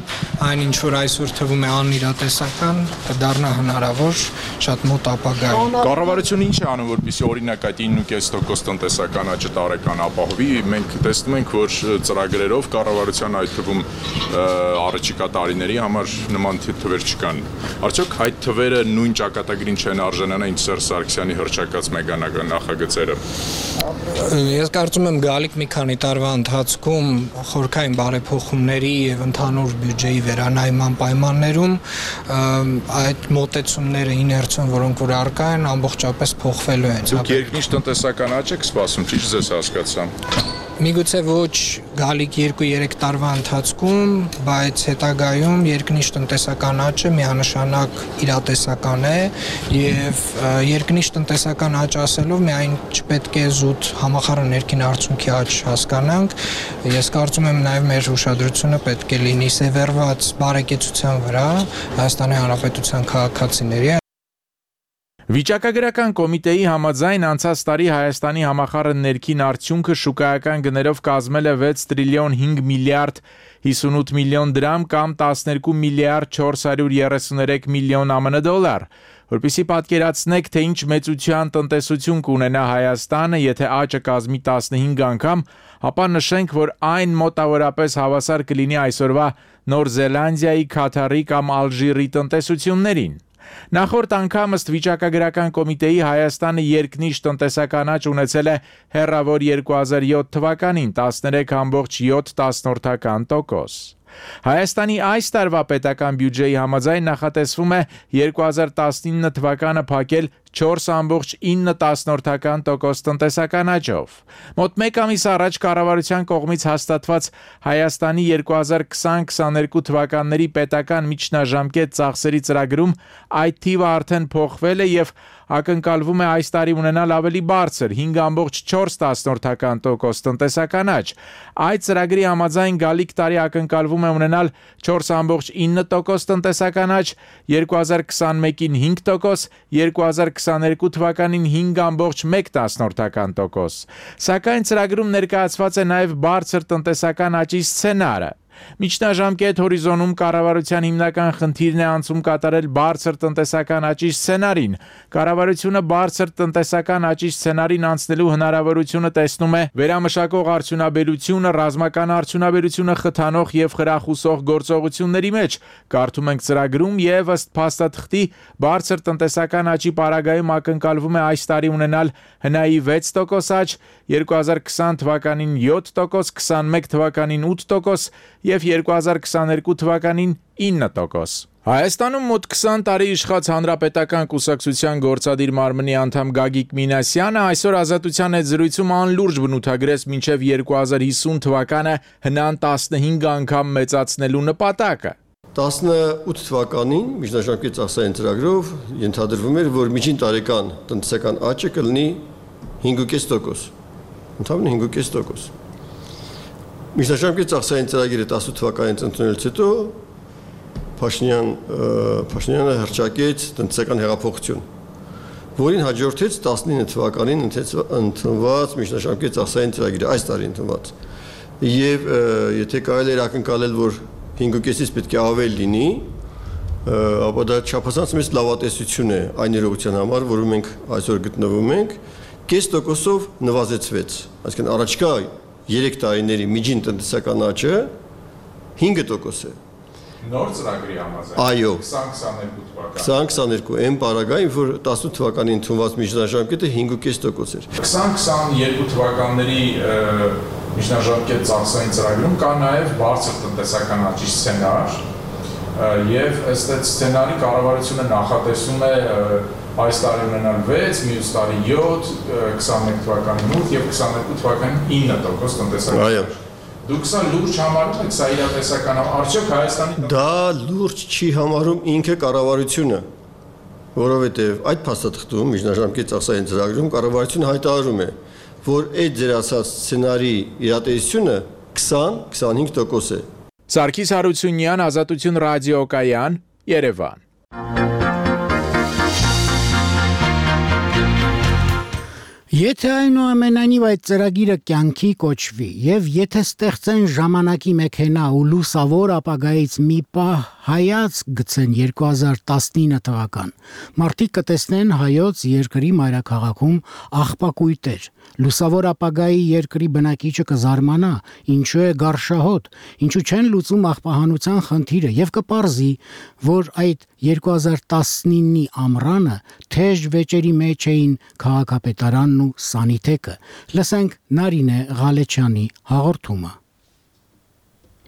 այն ինչ որ այսօր թվում է անիրատեսական կդառնա հնարավոր շատ մոտ ապագայում։ Կառավարությունը ինչ է անում, որպեսզի օրինակ այդ ինը կես տոկոս տնտեսական աճը տարեկան ապահովի։ Մենք տեսնում ենք, որ ծրագրերով կառավարության այդ թվում առաջիկա տարիների համար նման թվեր չկան։ Արդյոք այդ թվերը նույն ճակատագրին չեն արժանանա ինչ Սերժ Սարգսյանի հռչակած մեգանական նախագծերը։ Ես կարծում եմ գալիք մի քանի տարվա ընթացքում խորքային բարեփոխումների եւ ընդհանուր բյուջեի վերանայման պայմաններում այդ մոտեցումները իներցիոն, որոնք որ առկա են, ամբողջապես փոխվելու են։ Դուք երկնիշ տնտեսական աճ եք սպասում, ճիշտ ես հասկացա։ Միգուցե ոչ գալիք երկու-երեք տարվա ընթացքում, բայց հետագայում երկնիշ տնտեսական աճը միանշանակ իրատեսական է եւ երկնիշ տնտեսական աճ ասելով միայն չպետք է զուտ համախառն ներքին արդյունքի աճ հասկանանք։ Ես կարծում եմ նաեւ մեր ուշադրությունը պետք է լինի սևեռված բարեկեցության վրա Հայաստանի Հանրապետության քաղաքացիների։ Վիճակագրական կոմիտեի համաձայն անցած տարի Հայաստանի համախառն ներքին արդյունքը շուկայական գներով կազմել է վեց տրիլիոն հինգ միլիարդ հիսունութ միլիոն դրամ կամ տասներկու միլիարդ չորս հարյուր երեսուներեք միլիոն ԱՄՆ դոլար։ Որպեսզի պատկերացնեք, թե ինչ մեծության տնտեսություն կունենա Հայաստանը, եթե աճը կազմի տասնհինգ անգամ, ապա նշենք, որ այն մոտավորապես հավասար կլինի այսօրվա Նոր Զելանդիայի, Քաթարի կամ Ալժիրի տնտեսություններին։ Նախորդ անգամ ըստ վիճակագրական կոմիտեի Հայաստանը երկնիշ տնտեսական աճ ունեցել է հեռավոր երկու հազար յոթ թվականին տասներեք կόμμα յոթ տոկոս։ Հայաստանի այս տարվա պետական բյուջեի համաձայն նախատեսվում է երկու հազար տասնինը թվականը փակել չորս կόμμα ինը տոկոս տնտեսական աճով։ Մոտ մեկ ամիս առաջ կառավարության կողմից հաստատված Հայաստանի երկու հազար քսան քսաներկու թվականների պետական միջնաժամկետ ծախսերի ծրագրում այդ թիվը արդեն փոխվել է եւ ակնկալվում է այս տարի ունենալ ավելի բարձր հինգ կόμμα չորս տոկոս տնտեսական աճ։ Այդ ծրագրի համաձայն գալիք տարի ակնկալվում է ունենալ չորս կόμμα ինը տոկոս տնտեսական աճ, երկու հազար քսանմեկին հինգ տոկոս, երկու հազար քսաներկու թվականին հինգ կόμma մեկ տոկոս։ Սակայն ծրագրում ներկայացված է նաև բարձր տնտեսական աճի սցենարը։ Միջնաժամկետ հորիզոնում կառավարության հիմնական խնդիրն է անցում կատարել բարձր տնտեսական աճի սցենարին։ Կառավարությունը բարձր տնտեսական աճի սցենարին անցնելու հնարավորությունը տեսնում է վերամշակող արդյունաբերությունը, ռազմական արդյունաբերությունը խթանող եւ խրախուսող գործողությունների մեջ։ Կարդում ենք ծրագրում եւ ըստ փաստաթղթի բարձր տնտեսական աճի պարագայում ակնկալվում է այս տարի ունենալ հնայի վեց տոկոս աճ, երկու հազար քսան թվականին յոթ տոկոս, քսանմեկ թվականին ութ տոկոս եւ երկու հազար քսաներկու թվականին ինը տոկոս։ Հայաստանում մոտ քսան տարի իշխած Հանրապետական կուսակցության գործադիր մարմնի անդամ Գագիկ Մինասյանը այսօր Ազատության հետ զրույցում անլուրջ բնութագրեց մինչև երկու հազար հիսուն թվականը հնան տասնհինգ անգամ մեծացնելու նպատակը։ տասնութ թվականին միջնաժամկետ ծախսային ծրագրով ենթադրվում էր, որ միջին տարեկան տնտեսական աճը կլինի հինգ կես տոկոս։ Ընդհանրապես հինգ կես տոկոս։ Միջնաժամկետ ծախսային ծրագիրը տասնութ թվականից ընդունելուց հետո Փաշինյան Փաշինյանը հռչակեց տնտեսական հեղափոխություն, որին հաջորդեց տասնինը թվականին ընդունված միջնաժամկետ ծախսային ծրագիրը, այս տարի ընդունված։ Եվ եթե կարելի էր ակնկալել, որ հինգ կեսից պետք է ավել լինի, ապա դա չափազանց մեծ լավատեսություն է այն իրողության համար, որում մենք այսօր գտնվում ենք, կես տոկոսով նվազեցվեց, այսինքն առաջկա երեք տարիների միջին տնտեսական աճը հինգ տոկոս է։ Նոր ծրագրի համաձայն։ Այո։ քսան քսաներկու թվական։ քսան քսաներկու այն պարագային, որ տասնութ թվականին ընդունված միջնաժամկետը հինգ կես տոկոս էր։ քսան քսաներկու թվականների միջնաժամկետ ծախսային ծրագրում կա նաև բարձր տնտեսական աճի սցենար, եւ ըստ այդ սցենարի կառավարությունը նախատեսում է այս տարի ունենալ վեց, մյուս տարի յոթ, քսաներկու թվականին ութ եւ քսաներկու թվականին ինը տոկոս տնտեսական։ Այո։ Դուք սա լուրջ համարում եք, սա իրատեսական արդյոք Հայաստանի Դա լուրջ չի համարում ինքը կառավարությունը, որովհետև այդ փաստաթղթում միջնաժամկետ ծախսային ծրագրում կառավարությունը հայտարարում է, որ այդ ձեր ասած սցենարի իրատեսությունը քսան քսանհինգ տոկոս է։ Սարգիս Հարությունյան, Ազատություն ռադիոկայան, Երևան։ Եթե այնուամենայնիվ այդ ծրագիրը կյանքի կոչվի եւ եթե ստեղծեն ժամանակի մեքենա ու լուսավոր ապագայից մի պահ հայաց գցեն երկու հազար տասնինը թվական, մարդիկ կտեսնեն հայոց երկրի մայրաքաղաքում աղբակույտեր, լուսավոր ապագայի երկրի բնակիչը կզարմանա, ինչու է գարշահոտ, ինչու չեն լուծում աղբահանության խնդիրը եւ կպարզի, որ այդ երկու հազար տասնինի ամռանը թեժ վեճերի մեջ էին քաղաքապետարանն ու Սանիթեկը։ Լսենք Նարինե Ղալեչյանի հաղորդումը։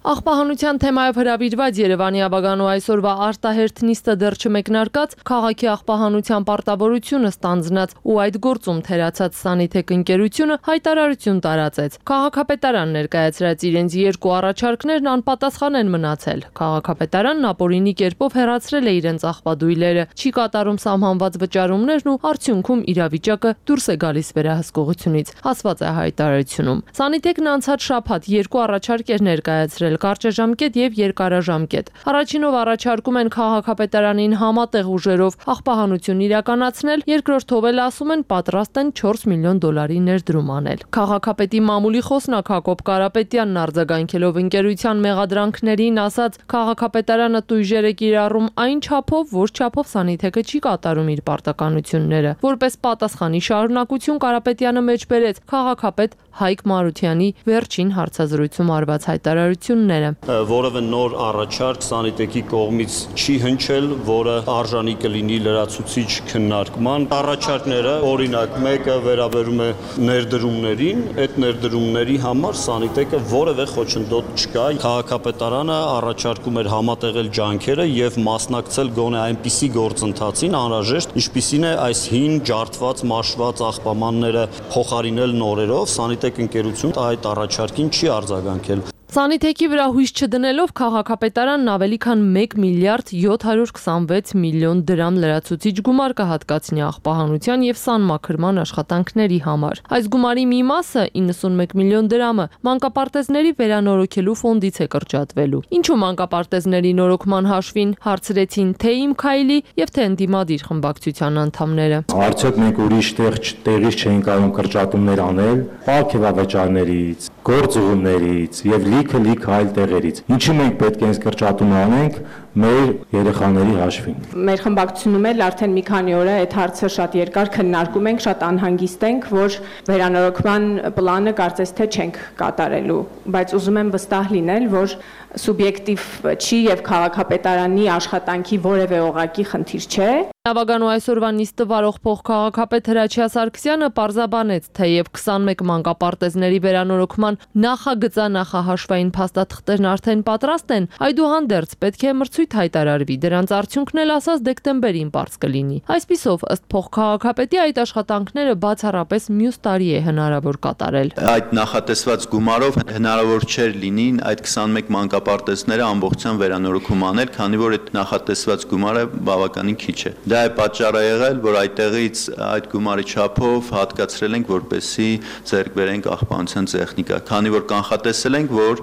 Աղբահանության թեմայով հրավիրված Երևանի Աբագանու այսօրվա արտահերթ նիստը դեռ չմեկնարկած քաղաքի աղբահանության պարտավորությունը ստանձնած ու այդ գործում թերացած Սանիթեք ընկերությունը հայտարարություն տարածեց։ Քաղաքապետարան ներկայացրած իրենց երկու առաջարկներն անպատասխան են մնացել։ Քաղաքապետարանն ապօրինի կերպով հեռացրել է իրենց աղբադույլերը, չի կատարում սահմանված վճարումներն ու արդյունքում իրավիճակը դուրս է գալիս վերահսկողությունից, ասված է հայտարարությունում։ Սանիթեկն անցած շաբաթ երկու առաջարկ էր ներկայացրել կարճաժամկետ եւ երկարաժամկետ։ Առաջինով առաջարկում են քաղաքապետարանին համատեղ ուժերով աղբահանություն իրականացնել, երկրորդով էլ ասում են պատրաստ են չորս միլիոն դոլարի ներդրում անել։ Քաղաքապետի մամուլի խոսնակ Հակոբ Կարապետյանն արձագանքելով ընկերության մեղադրանքներին ասաց, քաղաքապետարանը տույժեր է կիրառում այն չափով, որ չափով Սանիթեկը չի կատարում իր պարտականությունները։ Որպես պատասխանի շարունակություն Կարապետյանը մեջբերեց քաղաքապետ Հայկ Մարությանի վերջին հարցազրույցում արված հայտարարությունները։ Որևէ նոր առաջարկ Սանիթեկի կողմից չի հնչել, որը արժանի կլինի լրացուցիչ քննարկման։ Առաջարկները, օրինակ, մեկը վերաբերում է ներդրումներին, այդ ներդրումների համար Սանիթեկը որևէ խոչընդոտ չկա։ Քաղաքապետարանը առաջարկում էր համատեղել ջանքերը եւ մասնակցել գոնե այնպիսի գործընթացին անհրաժեշտ, ինչպիսին է այս հին ջարդված, մաշված աղբամանները փոխարինել նորերով, Սանիթեք ընկերությունը այդ առաջարկին չի արձագանքել։ Սանիթեկի վրա հույս չդնելով քաղաքապետարանն ավելի քան մեկ միլիարդ յոթ հարյուր քսանվեց միլիոն դրամ լրացուցիչ գումար կհատկացնի աղբահանության եւ սանմաքրման աշխատանքների համար։ Այս գումարի մի մասը իննսունմեկ միլիոն դրամը մանկապարտեզների վերանորոգելու ֆոնդից է կրճատվելու։ Ինչու մանկապարտեզների նորոգման հաշվին հարցրեցին թե Իմ Քայլի եւ թե Ընդդիմադիր խմբակցության անդամները։ Արդյոք մենք ուրիշ տեղ տեղից չէին կարող կրճատումներ անել, պարքեվավճարներից, գործուղումներից եւ լիքը լիքը այլ տեղերից։ Ինչի մենք պետք է այս կրճատումը անենք, մեր երեխաների հաշվին։ Մեր խմբակցությունում էլ արդեն մի քանի օր է այդ հարցը շատ երկար քննարկում ենք, շատ անհանգիստ ենք, որ վերանորոգման պլանը կարծես թե չենք կատարելու, բայց ուզում եմ վստահ լինել, որ սուբյեկտիվ չի եւ քաղաքապետարանի աշխատանքի որևէ օղակի խնդիր չէ։ Նավագանու այսօրվա նիստը վարող փոխքաղաքապետ Հրաչյա Սարգսյանը պարզաբանեց, թեև քսանմեկ մանկապարտեզների վերանորոգման նախագծանախահաշվային փաստաթղթերն արդեն պատրաստ են, այդուհանդերձ պետք է մրցույթ հայտարարվի, դրանց արդյունքն էլ ասած դեկտեմբերին պարզ կլինի։ Այսպիսով, ըստ փոխքաղաքապետի, այդ աշխատանքները բացառապես մյուս տարի է հնարավոր կատարել։ Այդ նախատեսված գումարով հնարավոր չէր լինի այդ քսանմեկ մանկապարտեզները ամբողջությամբ վերանորոգում անել, քանի որ այդ նախատեսված գումարը բավականին քիչ է։ Դա է պատճառը եղել, որ այդտեղից այդ գումարի չափով հատկացրել ենք, որպեսզի ձեռք բերենք աղբանության տեխնիկա, քանի որ կանխատեսել ենք, որ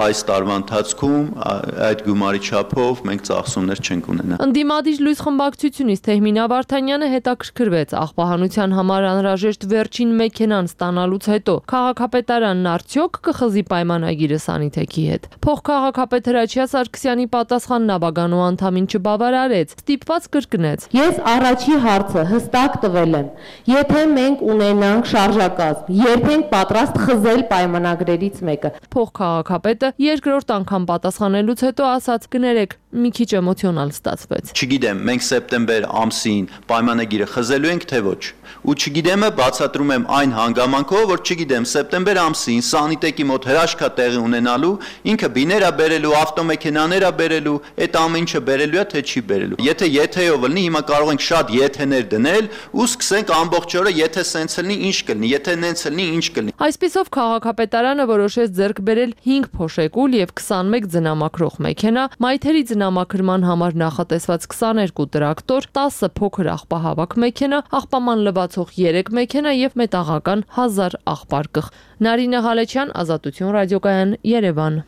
այս տարվա ընթացքում այդ գումարի չափով մենք ծախսումներ չենք ունենա։ Ընդդիմադիր լույս խմբակցությունից Թեհմինա Վարդանյանը հետաքրքրվեց աղբահանության համար անհրաժեշտ վերջին մեքենան ստանալուց հետո քաղաքապետարանն արդյոք կխզի պայմանագիրը Սանիթեքի հետ։ Փոխքաղաքապետ Հրաչյա Սարգսյանի պատասխանն նավագանու անդամին չբավարարեց, ստիպված կրկնեց. Ես առաջի հարցը հստակ տվել եմ. եթե մենք ունենանք շարժակազմ, երբ ենք պատրաստ խզել պայմանագրերից մեկը։ Փոխքաղաքապետը երկրորդ անգամ պատասխանելուց հետո ասաց. կներեք, մի քիչ էմոցիոնալ ստացվեց։ Չգիտեմ, մենք սեպտեմբեր ամսին պայմանագիրը խզելու ենք, թե ոչ։ Ու չգիտեմը բացատրում եմ այն հանգամանքով, որ չգիտեմ, սեպտեմբեր ամսին Սանիտեկի մոտ հրաշքա տեղի ունենալու, ինքը բիներ է բերելու, ավտոմեքենաներ է բերելու, այդ ամեն ինչը բերելու է, թե չի բերելու։ Եթե եթեով լինի, հիմա կարող ենք շատ եթեներ դնել ու սկսենք ամբողջ օրը եթե սենց լինի, ինչ կլինի, եթե նենց լինի, ինչ կլինի։ Այսպիսով քաղաքապետարանը որոշեց ձեռք բերել հինգ փոշեկուլ եւ քսանմեկ ձնամաքրող մեքենա, մայթերի ձնամաքրման համար նախատեսված քսաներկու տրակտոր, տասը փոքր աղբահավաք մեքենա, աղբաման լվացող երեք մեքենա եւ մետաղական հազար աղբարկղ։ Նարինե Ղալեչյան, Ազատություն ռադիոկայան, Երևան։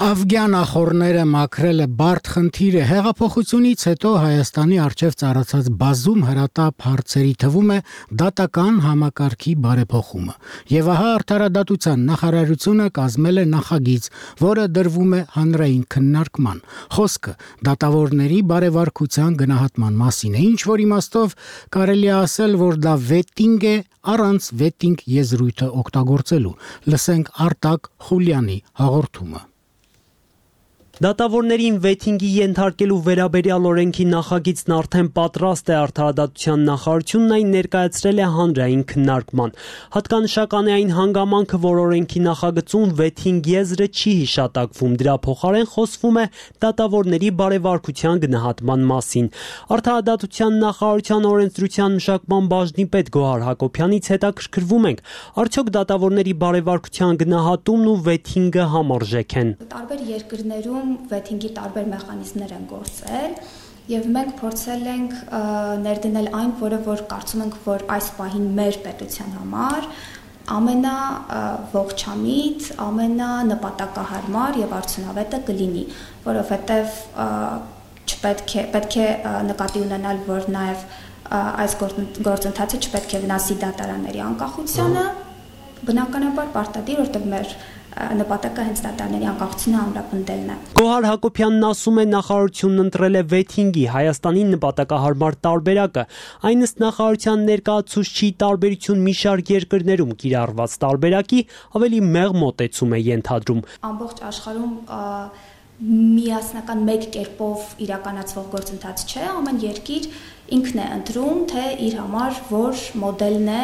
Աֆգան ախորները մաքրելը բարդ խնդիր է։ Հեղափոխությունից հետո Հայաստանի առջև ծառացած բազում հրատապ հարցերի թվում է դատական համակարգի բարեփոխումը։ Եվ ահա Արդարադատության նախարարությունը կազմել է նախագիծ, որը դրվում է հանրային քննարկման։ Խոսքը դատավորների բարեվարկության գնահատման մասին է, ինչ որ իմաստով կարելի է ասել, որ դա վետինգ է առանց վետինգ եզրույթը օգտագործելու։ Լսենք Արտակ Խուլյանի հաղորդումը։ Դատավորներին վեթինգի ենթարկելու վերաբերյալ օրենքի նախագիծն արդեն պատրաստ է Արդարադատության նախարարությունն այն ներկայացրել է հանրային քննարկման։ Հատկանշական է այն հանգամանքը, որ օրենքի նախագծում վեթինգ եզրը չի հիշատակվում, դրա փոխարեն խոսվում է դատավորների բարեվարկության գնահատման մասին։ Արդարադատության նախարարության օրենսդրության մշակման բաժնի պետ Գոհար Հակոբյանից հետաքրքրվում ենք, արդյոք դատավորների բարեվարկության գնահատումն ու վեթինգը համարժեք են։ Տարբեր երկրներում վեթինգի տարբեր մեխանիզմներ են գործել եւ մենք փորձել ենք ներդնել այն, որը որ կարծում ենք, որ այս պահին մեր պետության համար ամենա ողջամիտ, ամենա նպատակահարմար եւ արդյունավետը կլինի, որովհետեւ չպետք է պետք է նկատի ունենալ, որ նաեւ այս գործընթացը չպետք է վնասի դատարանների անկախությանը, բնականաբար պարտադիր, որտեղ մեր նպատակը հենց դատարանների անկախությունը ամրապնդելն է։ Գոհար Հակոբյանն ասում է, նախարարությունն ընտրել է վեթինգի Հայաստանի նպատակահարմար տարբերակը։ Այն ըստ նախարարության ներկայացուցչի տարբերություն մի շարք երկրներում կիրառված տարբերակի ավելի մեղ մոտեցում է ենթադրում։ Ամբողջ աշխարհում միասնական մեկ կերպով իրականացվող գործընթաց չէ, ամեն երկիր ինքն է ընտրում, թե իր համար որ մոդելն է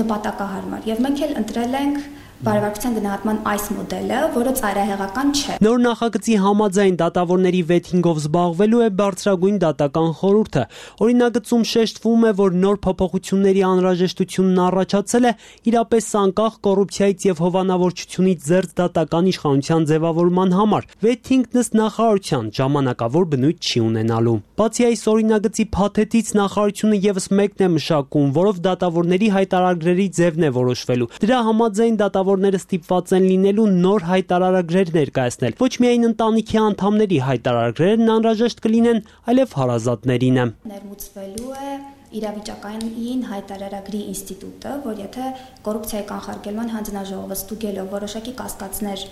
նպատակահարմար։ Եվ մենք էլ ընտրել ենք բարեվարկության գնահատման այս մոդելը, որը ծայրահեղական չէ։ Նոր նախագծի համաձայն դատավորների վեթինգով զբաղվելու է բարձրագույն դատական խորհուրդը։ Օրինագծում շեշտվում է, որ նոր փոփոխությունների անհրաժեշտությունն առաջացել է իրապես անկախ կոռուպցիայից եւ հովանավորչությունից զերծ դատական իշխանության ձևավորման համար։ Վեթինգն ըստ նախարարության ժամանակավոր բնույթ չի ունենալու։ Բացի այս օրինագծի փաթեթից նախարարությունը եւս մեկն է մշակում, որով դատավորների հայտարարագրերի ձևն է որոշվելու։ Դրա համաձայն դատավոր Ները ստիպված են լինելու նոր հայտարարագրեր ներկայացնել։ Ոչ միայն ընտանիքի անդամների հայտարարագրերն անհրաժեշտ կլինեն, այլև հարազատներինը։ Ներմուծվելու է իրավիճակային հայտարարագրի ինստիտուտը, որ եթե կոռուպցիայի կանխարգելման հանձնաժողովը ստուգելով որոշակի կասկածներ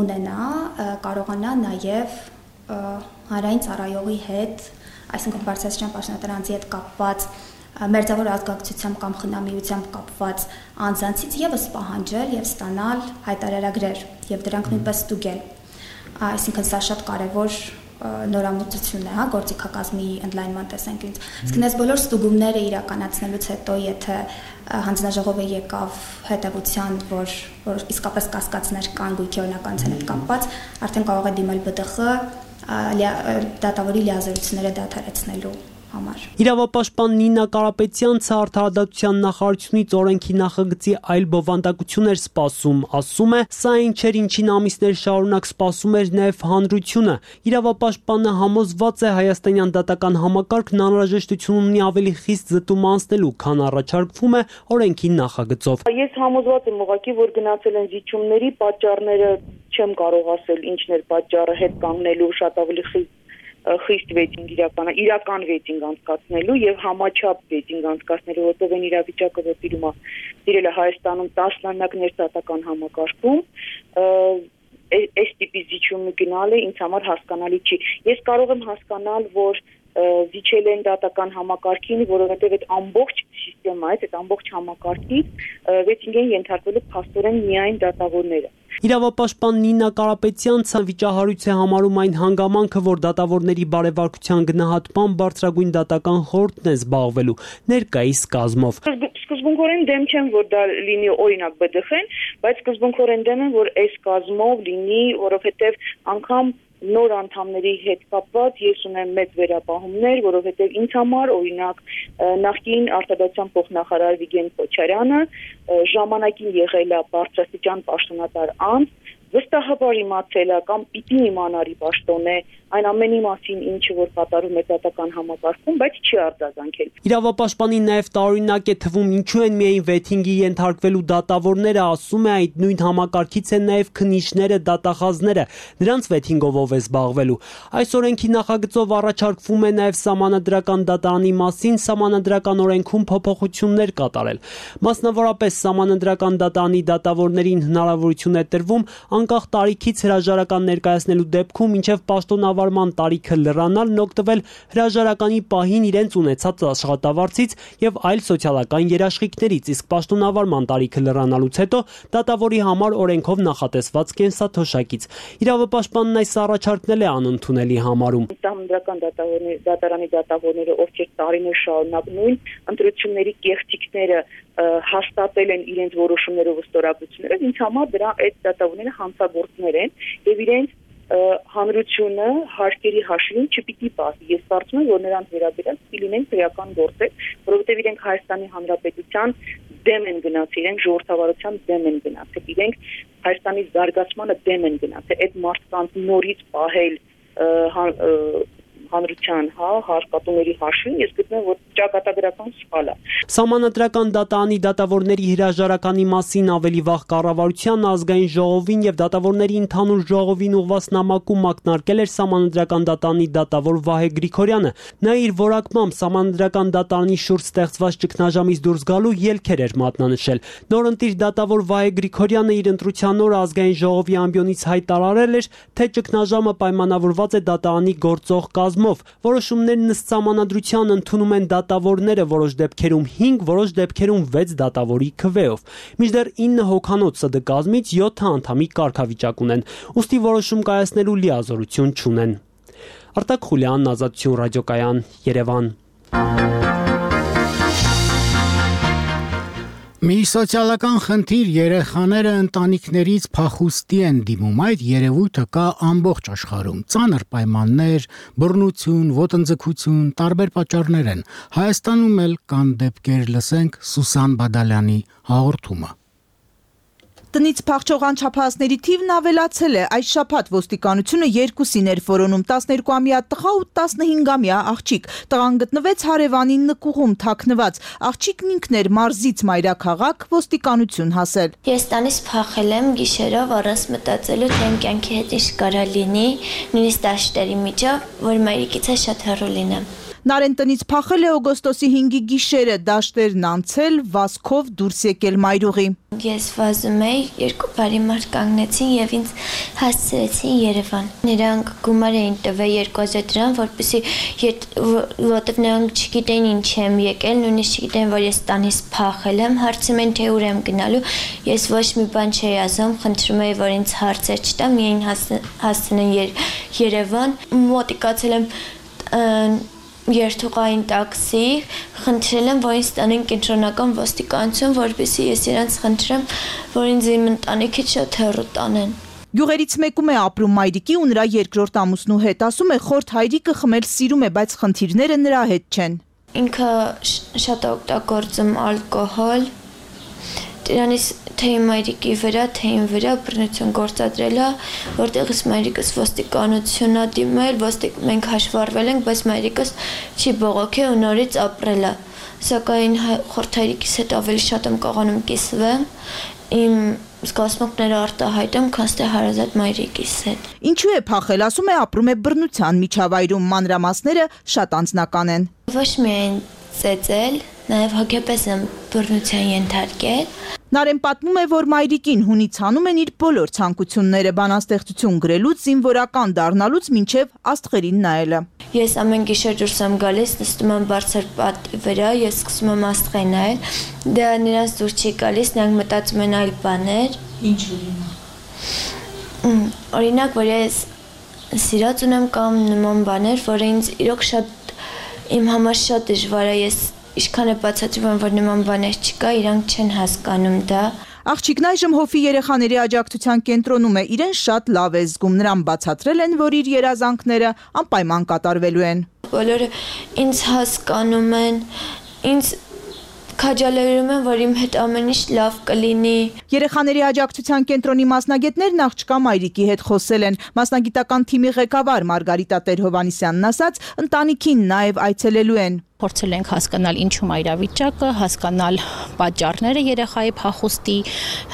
ունենա, կարողանա նաև հանրային ծառայողի հետ, այսինքն բարձրաստիճան պաշտոնատար անձի հետ կապված մերձավոր ազգակցությամբ կամ խնամիությամբ կապված անձանցից եւս պահանջել եւ ստանալ հայտարարագրեր եւ դրանք նույնպես ստուգել։ Այսինքն սա շատ կարեւոր նորամուծություն է, հա, գործիքակազմի ընդլայնման տեսանկյունից։ Իսկ այս բոլոր ստուգումները իրականացնելուց հետո, եթե հանձնաժողովը եկավ հետևության, որ որ իսկապես կասկածներ կան գույքի օրինականության հետ կապված, արդեն կարող է դիմել ԲՏԽ դատավորի լիազորությունները դադարեցնելու համար։ Իրավապաշտպան Նինա Կարապետյանցը արդարադատության նախարարությունից օրենքի նախագծի այլ բովանդակություն էր սպասում, ասում է, սա այն չէր, ինչին ամիսներ շարունակ սպասում էր նաև հանրությունը։ Իրավապաշտպանը համոզված է հայաստանյան դատական համակարգն անհրաժեշտություն ունի ավելի խիստ զտում անցնելու, քան առաջարկվում է օրենքի նախագծով։ Ես համոզված եմ ուղղակի, որ գնացել են զիջումների պատճառները չեմ կարող ասել ինչն էր պատճառը հետ կանգնելու շատ ավելի խիստ խիստ վեյտինգ իրական իրական վեյտինգ անցկացնելու եւ համաչափ վեյտինգ անցկացնելու, որտեղ այն իրավիճակը, որ տիրում է տիրել է Հայաստանում տասնամյակներ դատական համակարգում, այս տիպի զիջումի գնալը ինձ համար հասկանալի չի։ Ես կարող եմ հասկանալ, որ զիջել են դատական համակարգին, որովհետև այդ ամբողջ սիստեմայից, այդ ամբողջ համակարգից վեյտինգ են ենթարկվելու փաստորեն միայն դատավորները։ Իրավապաշտպան Նինա Կարապետյանցը վիճահարույց է համարում այն հանգամանքը, որ դատավորների բարևարկության գնահատման բարձրագույն դատական խորհուրդն է զբաղվելու ներկայիս կազմով։ Սկզբունքորեն դեմ չեմ, որ դա լինի օրինակ ԲԴԽ-ն, բայց սկզբունքորեն դեմ եմ, որ այս կազմով լինի, որովհետև անգամ նոր անդամների հետ կապված ես ունեմ մեծ վերապահումներ, որովհետև ինձ համար օրինակ նախկին արտադրության փոխնախարար Վիգեն Քոչարյանը ժամանակին եղել է բարձրաստիճան պաշտոնատար անձ, վստահաբար իմացել է կամ պիտի իմանար ի պաշտոն է այն ամենի մասին, ինչը որ կատարում է դատական համակարգում, բայց չի արձագանքել։ Իրավապաշտպանին նաև տարօրինակ է թվում, ինչու են միայն վեթինգի ենթարկվելու դատավորները, ասում է, այդ նույն համակարգից են նաև քննիչները, դատախազները, նրանց վեթինգով ով է զբաղվելու։ Այս օրենքի նախագծով առաջարկվում է նաև սահմանադրական դատարանի մասին սահմանադրական օրենքում փոփոխություններ կատարել։ Մասնավորապես սահմանադրական դատարանի դատավորներին հնարավորություն է տրվում անկախ տարիքից հրաժարական ներկայացնելու դեպքում, մինչև պաշտոնավարման տարիքը լրանալն օգտվել հրաժարականի պահին իրենց ունեցած աշխատավարձից եւ այլ սոցիալական երաշխիքներից, իսկ պաշտոնավարման տարիքը լրանալուց հետո դատավորի համար օրենքով նախատեսված կենսաթոշակից։ Իրավապաշտպանն այս առաջարկն է անընդունելի համարում։ Սահմանադրական դատարանի դատավորները, ովքեր տարիներ շարունակ նույն ընտրությունների կեղծիքները հաստատել են իրենց որոշումներով ստորագրություններով, ինձ համար դրա այդ դատավորները հանցագործներ են եւ իրենց հանրությունը հարկերի հաշվին չպիտի պահի։ Ես կարծում եմ, որ նրանց վերաբերյալ պիտի լինեն քրեական գործեր, որովհետեւ իրենք Հայաստանի Հանրապետության դեմ են գնացել, իրենք ժողովրդավարության դեմ են գնացել, իրենք Հայաստանի զարգացմանը դեմ են գնացել։ Այդ մարդկանց նորից պահել հանրության, հա, հարկատուների հաշվին, ես գտնում եմ, որ ճակատագրական սխալ է։ Սահմանադրական դատարանի դատավորների հրաժարականի մասին ավելի վաղ կառավարության ազգային ժողովին եւ դատավորների ընդհանուր ժողովին ուղղված նամակում ակնարկել էր սահմանադրական դատարանի դատավոր Վահե Գրիգորյանը։ Նա իր որակմամբ սահմանադրական դատարանի շուրջ ստեղծված ճգնաժամից դուրս գալու ելքեր էր մատնանշել։ Նորընտիր դատավոր Վահե Գրիգորյանը իր ընտրության օր ազգային ժողովի ամբիոնից հայտարարել էր, թե ճգնաժամը պայմանավորված է դատարանի գործող կազմով։ Որոշումներն ըստ սահմանադրության ընդունում են դատավորները, որոշ դեպքերում հինգ, որոշ դեպքերում վեց դատավորի քվեով։ Մինչդեռ ինը հոգանոց ՍԴ կազմից յոթ անդամի կարգավիճակ ունեն, ուստի որոշում կայացնելու լիազորություն չունեն։ Արտակ Խուլյան, Ազատություն ռադիոկայան, Երևան։ Մի սոցիալական խնդիր երեխաները ընտանիքներից փախուստի են դիմում, այդ երևույթը կա ամբողջ աշխարհում։ Ծանր պայմաններ, բռնություն, ոտնձգություն, տարբեր պատճառներ են։ Հայաստանում էլ կան դեպքեր, լսենք Սուսան Բադալյանի հաղորդումը։ Տնից փախչող անչափահասների թիվն ավելացել է։ Այս շաբաթ ոստիկանությունը երկուսին էր որոնում՝ տասներկուամյա տղա ու տասնհինգամյա աղջիկ։ Տղան գտնվեց հարևանի նկուղում թաքնված։ Աղջիկն ինքն էր մարզից մայրաքաղաք ոստիկանություն հասել։ Ես տանից փախել եմ գիշերով առանց մտածելու, թե իմ կյանքի հետ ինչ կարա լինի, նույնիսկ դաշտերի միջով, որ մայրիկից շատ հեռու լինեմ։ Նարեն տնից փախել է օգոստոսի հինգի գիշերը, դաշտերն անցել, վազքով դուրս եկել մայրուղի։ Ես վազում էի, երկու բարի մարդ կանգնեցին եւ ինձ հասցրեցին Երևան։ Նրանք գումար էին տվել երկու հազար դրամ, որպեսզի որտեվ նրանք չգիտեն ինչ եմ եկել, նույնիսկ չգիտեն, որ ես տանից փախել եմ, հարցում են թե ուր եմ գնալու։ Ես ոչ մի բան չէի ասում, խնդրում էի, որ ինձ հարցեր չտա, միայն հասցնեն Երևան։ Մոտիկացել եմ երթուղային տաքսի, խնդրել եմ, որ ինձ տանեն կենտրոնական ոստիկանություն, որպեսզի ես իրենց խնդրեմ, որ ինձ իմ ընտանիքից շատ հեռու տանեն։ Գյուղերից մեկում է ապրում մայրիկի ու նրա երկրորդ ամուսնու հետ, ասում է խորթ հայրիկը խմել սիրում է, բայց խնդիրները նրա հետ չեն։ Ինքը շատ օգտագործում ալկոհոլ, դրանից թե իմ մայրիկի վրա, թե իմ վրա բռնություն գործադրել է, որտեղից մայրիկս ոստիկանությունն է դիմել, մենք հաշվառվել ենք, բայց մայրիկս չի բողոքել ու նորից ապրել է։ Սակայն խորթ հայրիկիս հետ ավելի շատ եմ կարողանում կիսվել, իմ զգացմունքները արտահայտեմ, քան թե հարազատ մայրիկիս հետ։ Ինչու է փախել, ասում է ապրում է բռնության միջավայրում, մանրամասները շատ անձնական են։ Ոչ միայն ծեծել, նաև հոգեպես եմ բռնության ենթարկել։ Նարեն պատմում է, որ մայրիկին հունից հանում են իր բոլոր ցանկությունները, բանաստեղծություն գրելուց, զինվորական դառնալուց մինչև աստղերին նայելը։ Ես ամեն գիշեր դուրս եմ գալիս, նստում եմ բարձր պատի վրա, ես սկսում եմ աստղեր նայել, դա նրանց դուր չի գալիս, նրանք մտածում են այլ բաներ։ Ինչ օրինակ։ Օրինակ, որ ես սիրած ունեմ կամ նման բաներ, որը ինձ իրոք շատ իմ համար շատ դժվար է, ես Ինչքան է բացատրում, որ նման բաներ չկա, իրանք չեն հասկանում դա։ Աղջիկն այժմ հովի երեխաների աջակցության կենտրոնում է, իրեն շատ լավ է զգում, նրան բացատրել են, որ իր երազանքները անպայման կատարվելու են։ Բոլորը ինձ հասկանում են, ինձ քաջալերում են, որ իմ հետ ամեն ինչ լավ կլինի։ Երեխաների աջակցության կենտրոնի մասնագետներն աղջկա մայրիկի հետ խոսել են։ Մասնագիտական թիմի ղեկավար Մարգարիտա Տեր-Հովհաննիսյանն ասաց, ընտանիքին նաև այցելելու են։ Փորձել ենք հասկանալ ինչու մայրավիճակը, հասկանալ պատճառները երեխայի փախուստի,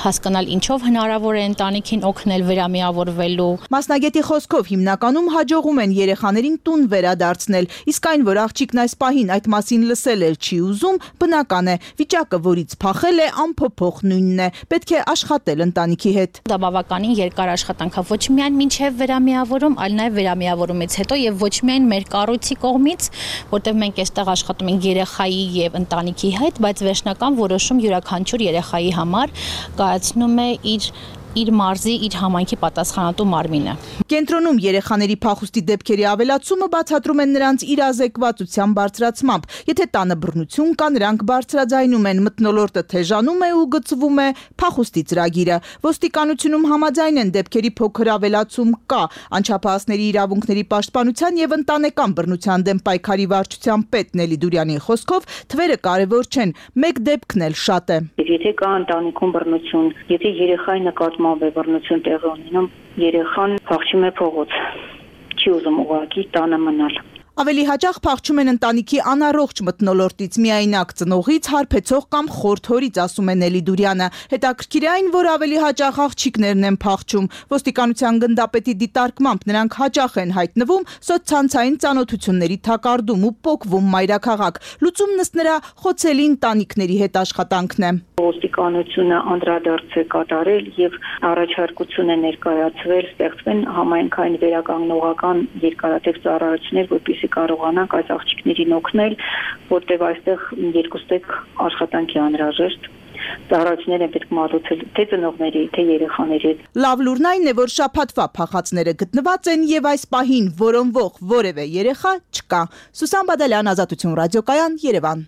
հասկանալ ինչով հնարավոր է ընտանիքին օգնել վերամիավորվելու։ Մասնագետի խոսքով հիմնականում հաջողում են երեխաներին տուն վերադարձնել, իսկ այն, որ աղջիկն այս պահին այդ մասին լսել էլ չի ուզում, բնական է։ Վիճակը, որից փախել է, անփոփոխ նույնն է։ Պետք է աշխատել ընտանիքի հետ։ Դա բավականին երկար աշխատանք է, ոչ միայն մինչև վերամիավորում, այլ նաև վերամիավորումից հետո եւ ոչ միայն մեր կառույցի կողմից, որտեղ մենք այստեղ աշխատում ենք երեխայի եւ ընտանիքի հետ, բայց վերջնական որոշում յուրաքանչյուր երեխայի համար կայացնում է իր իր մարզի, իր համայնքի պատասխանատու մարմինը։ Կենտրոնում երեխաների փախուստի դեպքերի ավելացումը բացատրում են նրանց իրազեկվածության բարձրացմամբ։ Եթե տանը բռնություն կա, նրանք բարձրաձայնում են, մթնոլորտը թեժանում է ու գծվում է փախուստի ծրագիրը։ Ոստիկանությունում համաձայն են, դեպքերի փոքր ավելացում կա։ Անչափահասների իրավունքների պաշտպանության եւ ընտանեկան բռնության դեմ պայքարի վարչության պետ Նելի Դուրյանի խոսքով թվերը կարևոր չեն, մեկ դեպքն էլ շատ է։ Եթե կա ընտանիքում բռնություն, եթե երեխայի նկատմամբ է բռնություն տեղի ունենում, երեխան փախչում է փողոց, չի ուզում ուղղակի տանը մնալ։ Ավելի հաճախ փախչում են ընտանիքի անառողջ մթնոլորտից, միայնակ ծնողից, հարբեցող կամ խորթ հորից, ասում է Նելի Դուրյանը։ Հետաքրքիր է այն, որ ավելի հաճախ աղջիկներն են փախչում։ Ոստիկանության գնդապետի դիտարկմամբ նրանք հաճախ են հայտնվում սոցցանցային ծանոթությունների թակարդում ու պոկվում մայրաքաղաք։ Լուծումն ըստ նրա խոցելի ընտանիքների հետ աշխատանքն է։ Ոստիկանությունը անդրադարձ է կատարել եւ առաջարկություն է ներկայացվել ստեղծվեն համայնքային վերականգնողական երկարատև ծառայություններ, որպեսզի կարողանանք այս աղջիկներին օգնել, որտեղ այստեղ երկուստեք աշխատանքի անհրաժեշտ ծառայություններ են պետք մատուցել թե ծնողների, թե երեխաների հետ։ Լավ լուրն այն է, որ շաբաթվա փախածները գտնված են եւ այս պահին որոնվող որևէ երեխա չկա։ Սուսան Բադալյան, Ազատություն ռադիոկայան, Երևան։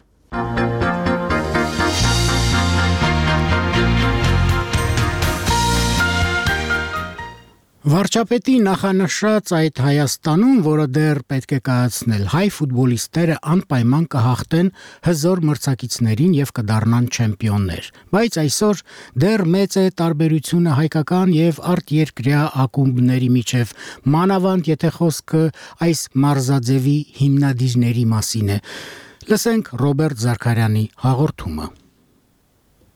Վարչապետի նախանշած այդ Հայաստանում, որը դեռ պետք է կայացնել, հայ ֆուտբոլիստները անպայման կհաղթեն հզոր մրցակիցներին եւ կդառնան չեմպիոններ։ Բայց այսօր դեռ մեծ է տարբերությունը հայկական եւ արտերկրյա ակումբների միջև, մանավանդ եթե խոսքը այս մարզաձևի հիմնադիրների մասին է։ Լսենք Ռոբերտ Զաքարյանի հաղորդումը։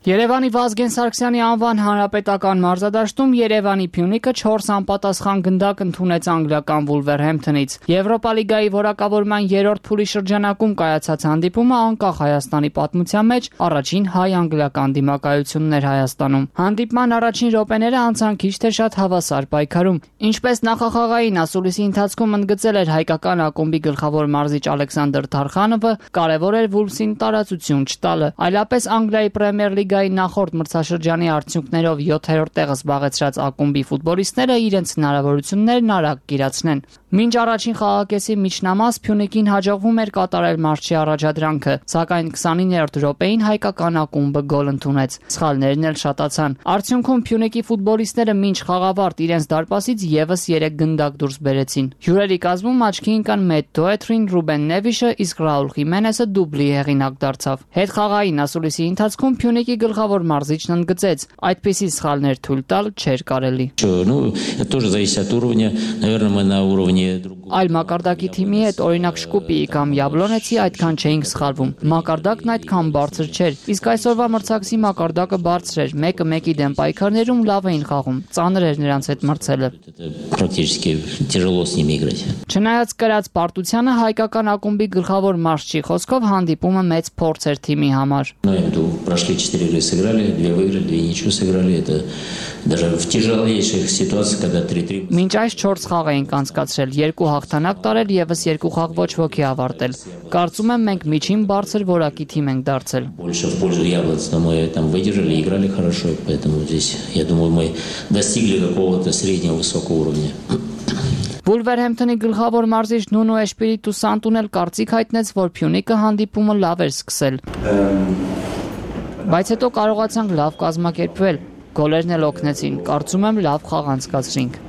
Երևանի Վազգեն Սարգսյանի անվան հանրապետական մարզադաշտում Երևանի Փյունիկը չորս անպատասխան գնդակ ընդունեց անգլիական Վուլվերհեմփթոնից։ Եվրոպա լիգայի որակավորման երրորդ փուլի շրջանակում կայացած հանդիպումը անկախ Հայաստանի պատմության մեջ առաջին հայ-անգլիական դիմակայությունն էր Հայաստանում։ Հանդիպման առաջին րոպեները անցան քիչ թե շատ հավասար պայքարում։ Ինչպես նախախաղային ասուլիսի ընթացքում ընդգծել էր հայկական ակումբի գլխավոր մարզիչ Ալեքսանդր Թարխանովը, կարևոր էր Վուլվսին տարածություն չտալը, այլապես Անգլիայի Պրեմիեր լիգայի նախորդ մրցաշրջանի արդյունքներով յոթերորդ տեղը զբաղեցրած ակումբի ֆուտբոլիստները իրենց հնարավորություններն արագ կիրացնեն։ Մինչ առաջին խաղակեսի միջնամաս Փյունիկին հաջողվում էր կատարել մարզչի առաջադրանքը, սակայն քսանիններորդ րոպեին հայկական ակումբը գոլ ընդունեց։ Սխալներն էլ շատացան։ Արդյունքում Փյունիկի ֆուտբոլիստները մինչ խաղավարտ իրենց դարպասից եւս երեք գնդակ դուրս բերեցին։ Հյուրերի կազմում աչքի ընկան Մեթ Դոեթրին, Ռուբեն Նևիշը, իսկ Ռաուլ Խիմենեսը դուբլի հեղինակ դարձավ։ Հետխաղային ասուլիսի ընթացքում Փյունիկի գլխավոր մարզիչն ընդգծեց, այդպիսի սխալներ թույլ տալ չէր կարելի։ Այլ մակարդակի թիմի հետ, օրինակ Շկուպիի կամ Յաբլոնեցի, այդքան չէինք սխալվում։ Մակարդակն այդքան բարձր չէր, իսկ այսօրվա մրցակցի մակարդակը բարձր էր, մեկը մեկի դեմ պայքարներում լավ էին խաղում, ծանր էր նրանց հետ մրցելը։ Չնայած կրած պարտությանը, հայկական ակումբի գլխավոր մարզչի խոսքով հանդիպումը մեծ փորձ էր թիմի համար։ Прошли четыре игры, сыграли, две выиграли, две ничего сыграли. Это даже в тяжелейших ситуациях, когда три-три. Մինչ այս չորս խաղ էինք անցկացրել, երկու հաղթանակ տարել, եւս երկու խաղ ոչ ոքի ավարտել։ Կարծում եմ մենք միջին բարձր որակի թիմ ենք դարձել։ Больше в пользу Яблонца, но мы там выдержали, играли хорошо, поэтому здесь, я думаю, мы достигли какого-то среднего высокого уровня. Վուլվերհեմփթոնի գլխավոր մարզիչ Նունո Էշպիրիտու Սանտուն էլ կարծիք հայտնեց, որ Փյունիկը հանդիպումը լավ էր սկսել։ Բայց հետո կարողացանք լավ կազմակերպվել, գոլերն էլ օգնեցին, կարծում եմ լավ խաղ անցկացրինք։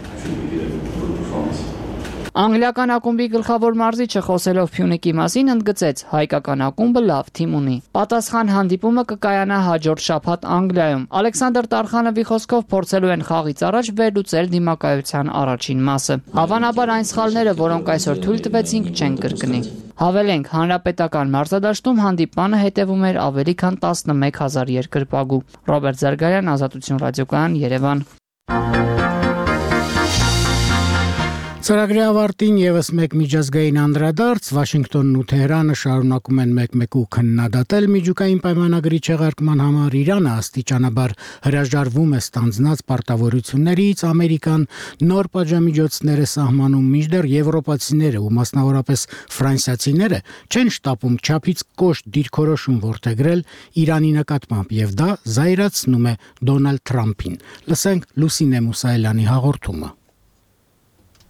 Անգլիական ակումբի գլխավոր մարզիչը խոսելով Փյունիկի մասին ընդգծեց, հայկական ակումբը լավ թիմ ունի։ Պատասխան հանդիպումը կկայանա հաջորդ շաբաթ Անգլիայում։ Ալեքսանդր Տարխանովի խոսքով փորձելու են խաղից առաջ վերլուծել դիմակայության առաջին մասը։ Հավանաբար այն սխալները, որոնք այսօր թույլ տվեցինք, չեն կրկնի։ Հավելենք, հանրապետական մարզադաշտում հանդիպանը հետևում էր ավելի քան տասնմեկ հազար երկրպագու։ Ռոբերտ Զարգարյան, Ազատություն ռադիոկայան, Երևան։ Ծրագրի ավարտին եւս մեկ միջազգային անդրադարձ, Վաշինգտոնն ու Թեհրանը շարունակում են մեկ-մեկու քննադատել միջուկային պայմանագրի չեղարկման համար Իրանը աստիճանաբար հրաժարվում է ստանձնած պարտավորություններից, Ամերիկան նոր պատժամիջոցներ է սահմանում, մինչդեռ եվրոպացիները ու մասնավորապես ֆրանսիացիները չեն շտապում չափից կոշտ դիրքորոշում որդեգրել Իրանի նկատմամբ եւ դա զայրացնում է Դոնալդ Թրամփին։ Լսենք Լուսինե Մուսայելյանի հաղորդումը։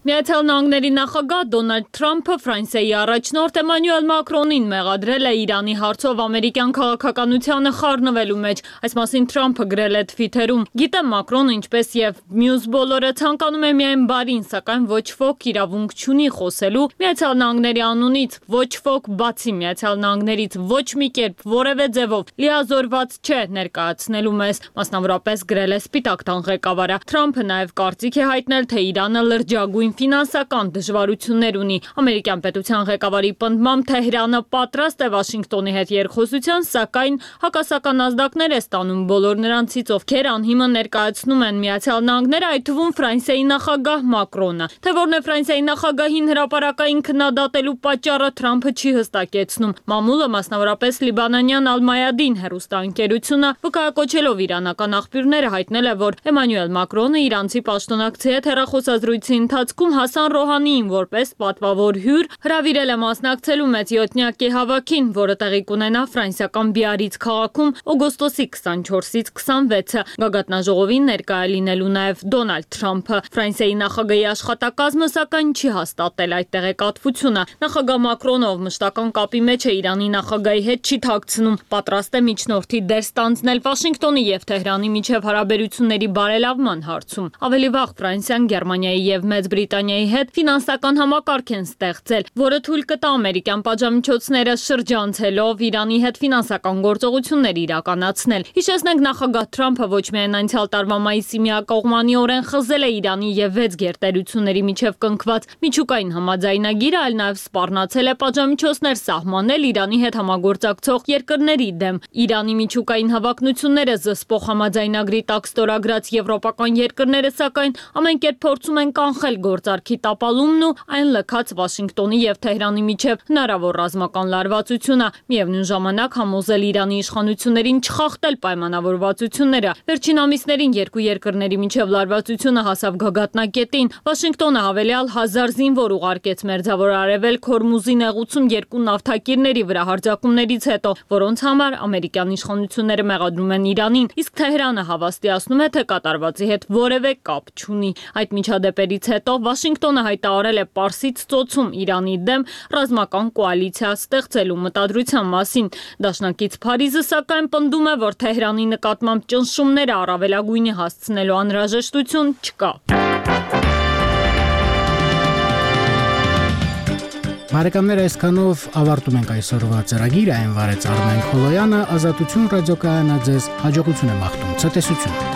Միացյալ Նահանգների նախագահ Դոնալդ Թրամփը Ֆրանսիայի առաջնորդ Էմանուել Մակրոնին մեղադրել է Իրանի հարցով ամերիկյան քաղաքականությանը խառնվելու մեջ։ Այս մասին Թրամփը գրել է Թվիթերում. Գիտեմ Մակրոնը ինչպես եւ մյուս բոլորը ցանկանում է միայն բարին, սակայն ոչ ոք իրավունք չունի խոսելու Միացյալ Նահանգների անունից, ոչ ոք բացի Միացյալ Նահանգներից ոչ մի կերպ որևէ ձևով լիազորված չէ ներկայացնելու մեզ, մասնավորապես գրել է Սպիտակ տան ղեկավարը։ Թրամփը նաեւ կարծիք է հայտնել, թե Իրանը լրջագույն ֆինանսական դժվարություններ ունի։ Ամերիկյան պետության ղեկավարի պնդմամբ Թեհրանը պատրաստ է Վաշինգտոնի հետ երկխոսության, սակայն հակասական ազդակներ է ստանում բոլոր նրանցից, ովքեր անհիմն ներկայացնում են Միացյալ Նահանգները, այդ թվում Ֆրանսիայի նախագահ Մակրոնը։ Թե որն է Ֆրանսիայի նախագահին հրապարակային քննադատելու պատճառը Թրամփը չի հստակեցնում։ Մամուլը, մասնավորապես Լիբանանյան Ալ-Մայադին հեռուստաընկերությունը, վկայակոչելով իրանական աղբյուրները, հայտնել է, որ Էմանուել Մակրոնը իրանցի պաշտոնակցի հետ հեռախոսազրույցի ընթացքում Հասան Ռոհանիին որպես պատվավոր հյուր հրավիրել է մասնակցելու մեծյոթնյակի հավաքին, որը տեղի կունենա ֆրանսիական Բիարից քաղաքում օգոստոսի քսանչորսից քսանվեցը։ Գագաթնաժողովին ներկայ է լինելու նաև Դոնալդ Թրամփը։ Ֆրանսիայի նախագահի աշխատակազմը սակայն չի հաստատել այդ տեղեկատվությունը։ Նախագահ Մակրոնը, ով մշտական կապի մեջ է Իրանի նախագահի հետ, չի թաքցնում, պատրաստ է միջնորդի դեր ստանձնել Վաշինգտոնի եւ Թեհրանի միջև հարաբերությունների բարելավման հարցում։ Ավելի վաղ Ֆրանսիան, Գերմանիայի եւ Մեծ Մավրիտանիայի հետ ֆինանսական համակարգ են ստեղծել, որը թույլ կտա ամերիկյան պատժամիջոցները շրջանցելով Իրանի հետ ֆինանսական գործողություններ իրականացնել։ Հիշեցնենք, նախագահ Թրամփը ոչ միայն անցյալ տարվա մայիսի միակողմանիորեն խզել է Իրանի եւ վեց գերտերությունների միջև կնքված միջուկային համաձայնագիրը, այլ նաեւ սպառնացել է պատժամիջոցներ սահմանել Իրանի հետ համագործակցող երկրների դեմ։ Իրանի միջուկային հավակնությունները զսպող համաձայնագրի տակ ստորագրած եվրոպական երկրները սակայն ամեն կերպ փորձում են կանխել գործարքի տապալումն ու այն լքած Վաշինգտոնի եւ Թեհրանի միջև հնարավոր ռազմական լարվածությունը, միևնույն ժամանակ համոզել Իրանի իշխանություններին չխախտել պայմանավորվածությունները։ Վերջին ամիսներին երկու երկրների միջև լարվածությունը հասավ գագաթնակետին։ Վաշինգտոնը հավելյալ հազար զինվոր ուղարկեց Մերձավոր Արևելք Հորմուզի նեղուցում երկու նավթակիրների վրա հարձակումներից հետո, որոնց համար ամերիկյան իշխանությունները մեղադրում են Իրանին, իսկ Թեհրանը հավաստիացնում է, թե կատարվածի հետ որևէ կապ չունի։ Այդ միջադեպերից հետո Վաշինգտոնը հայտարարել է Պարսից ծոցում Իրանի դեմ ռազմական կոալիցիա ստեղծելու մտադրության մասին։ Դաշնակից Փարիզը սակայն պնդում է, որ Թեհրանի նկատմամբ ճնշումները առավելագույնի հասցնելու անհրաժեշտություն չկա։ Բարեկամներ, այսքանով ավարտում ենք այսօրվա ծրագիրը, այն վարեց Արմեն Խոլոյանը, Ազատություն ռադիոկայանը ձեզ հաջողություն է մաղթում, ցտեսություն։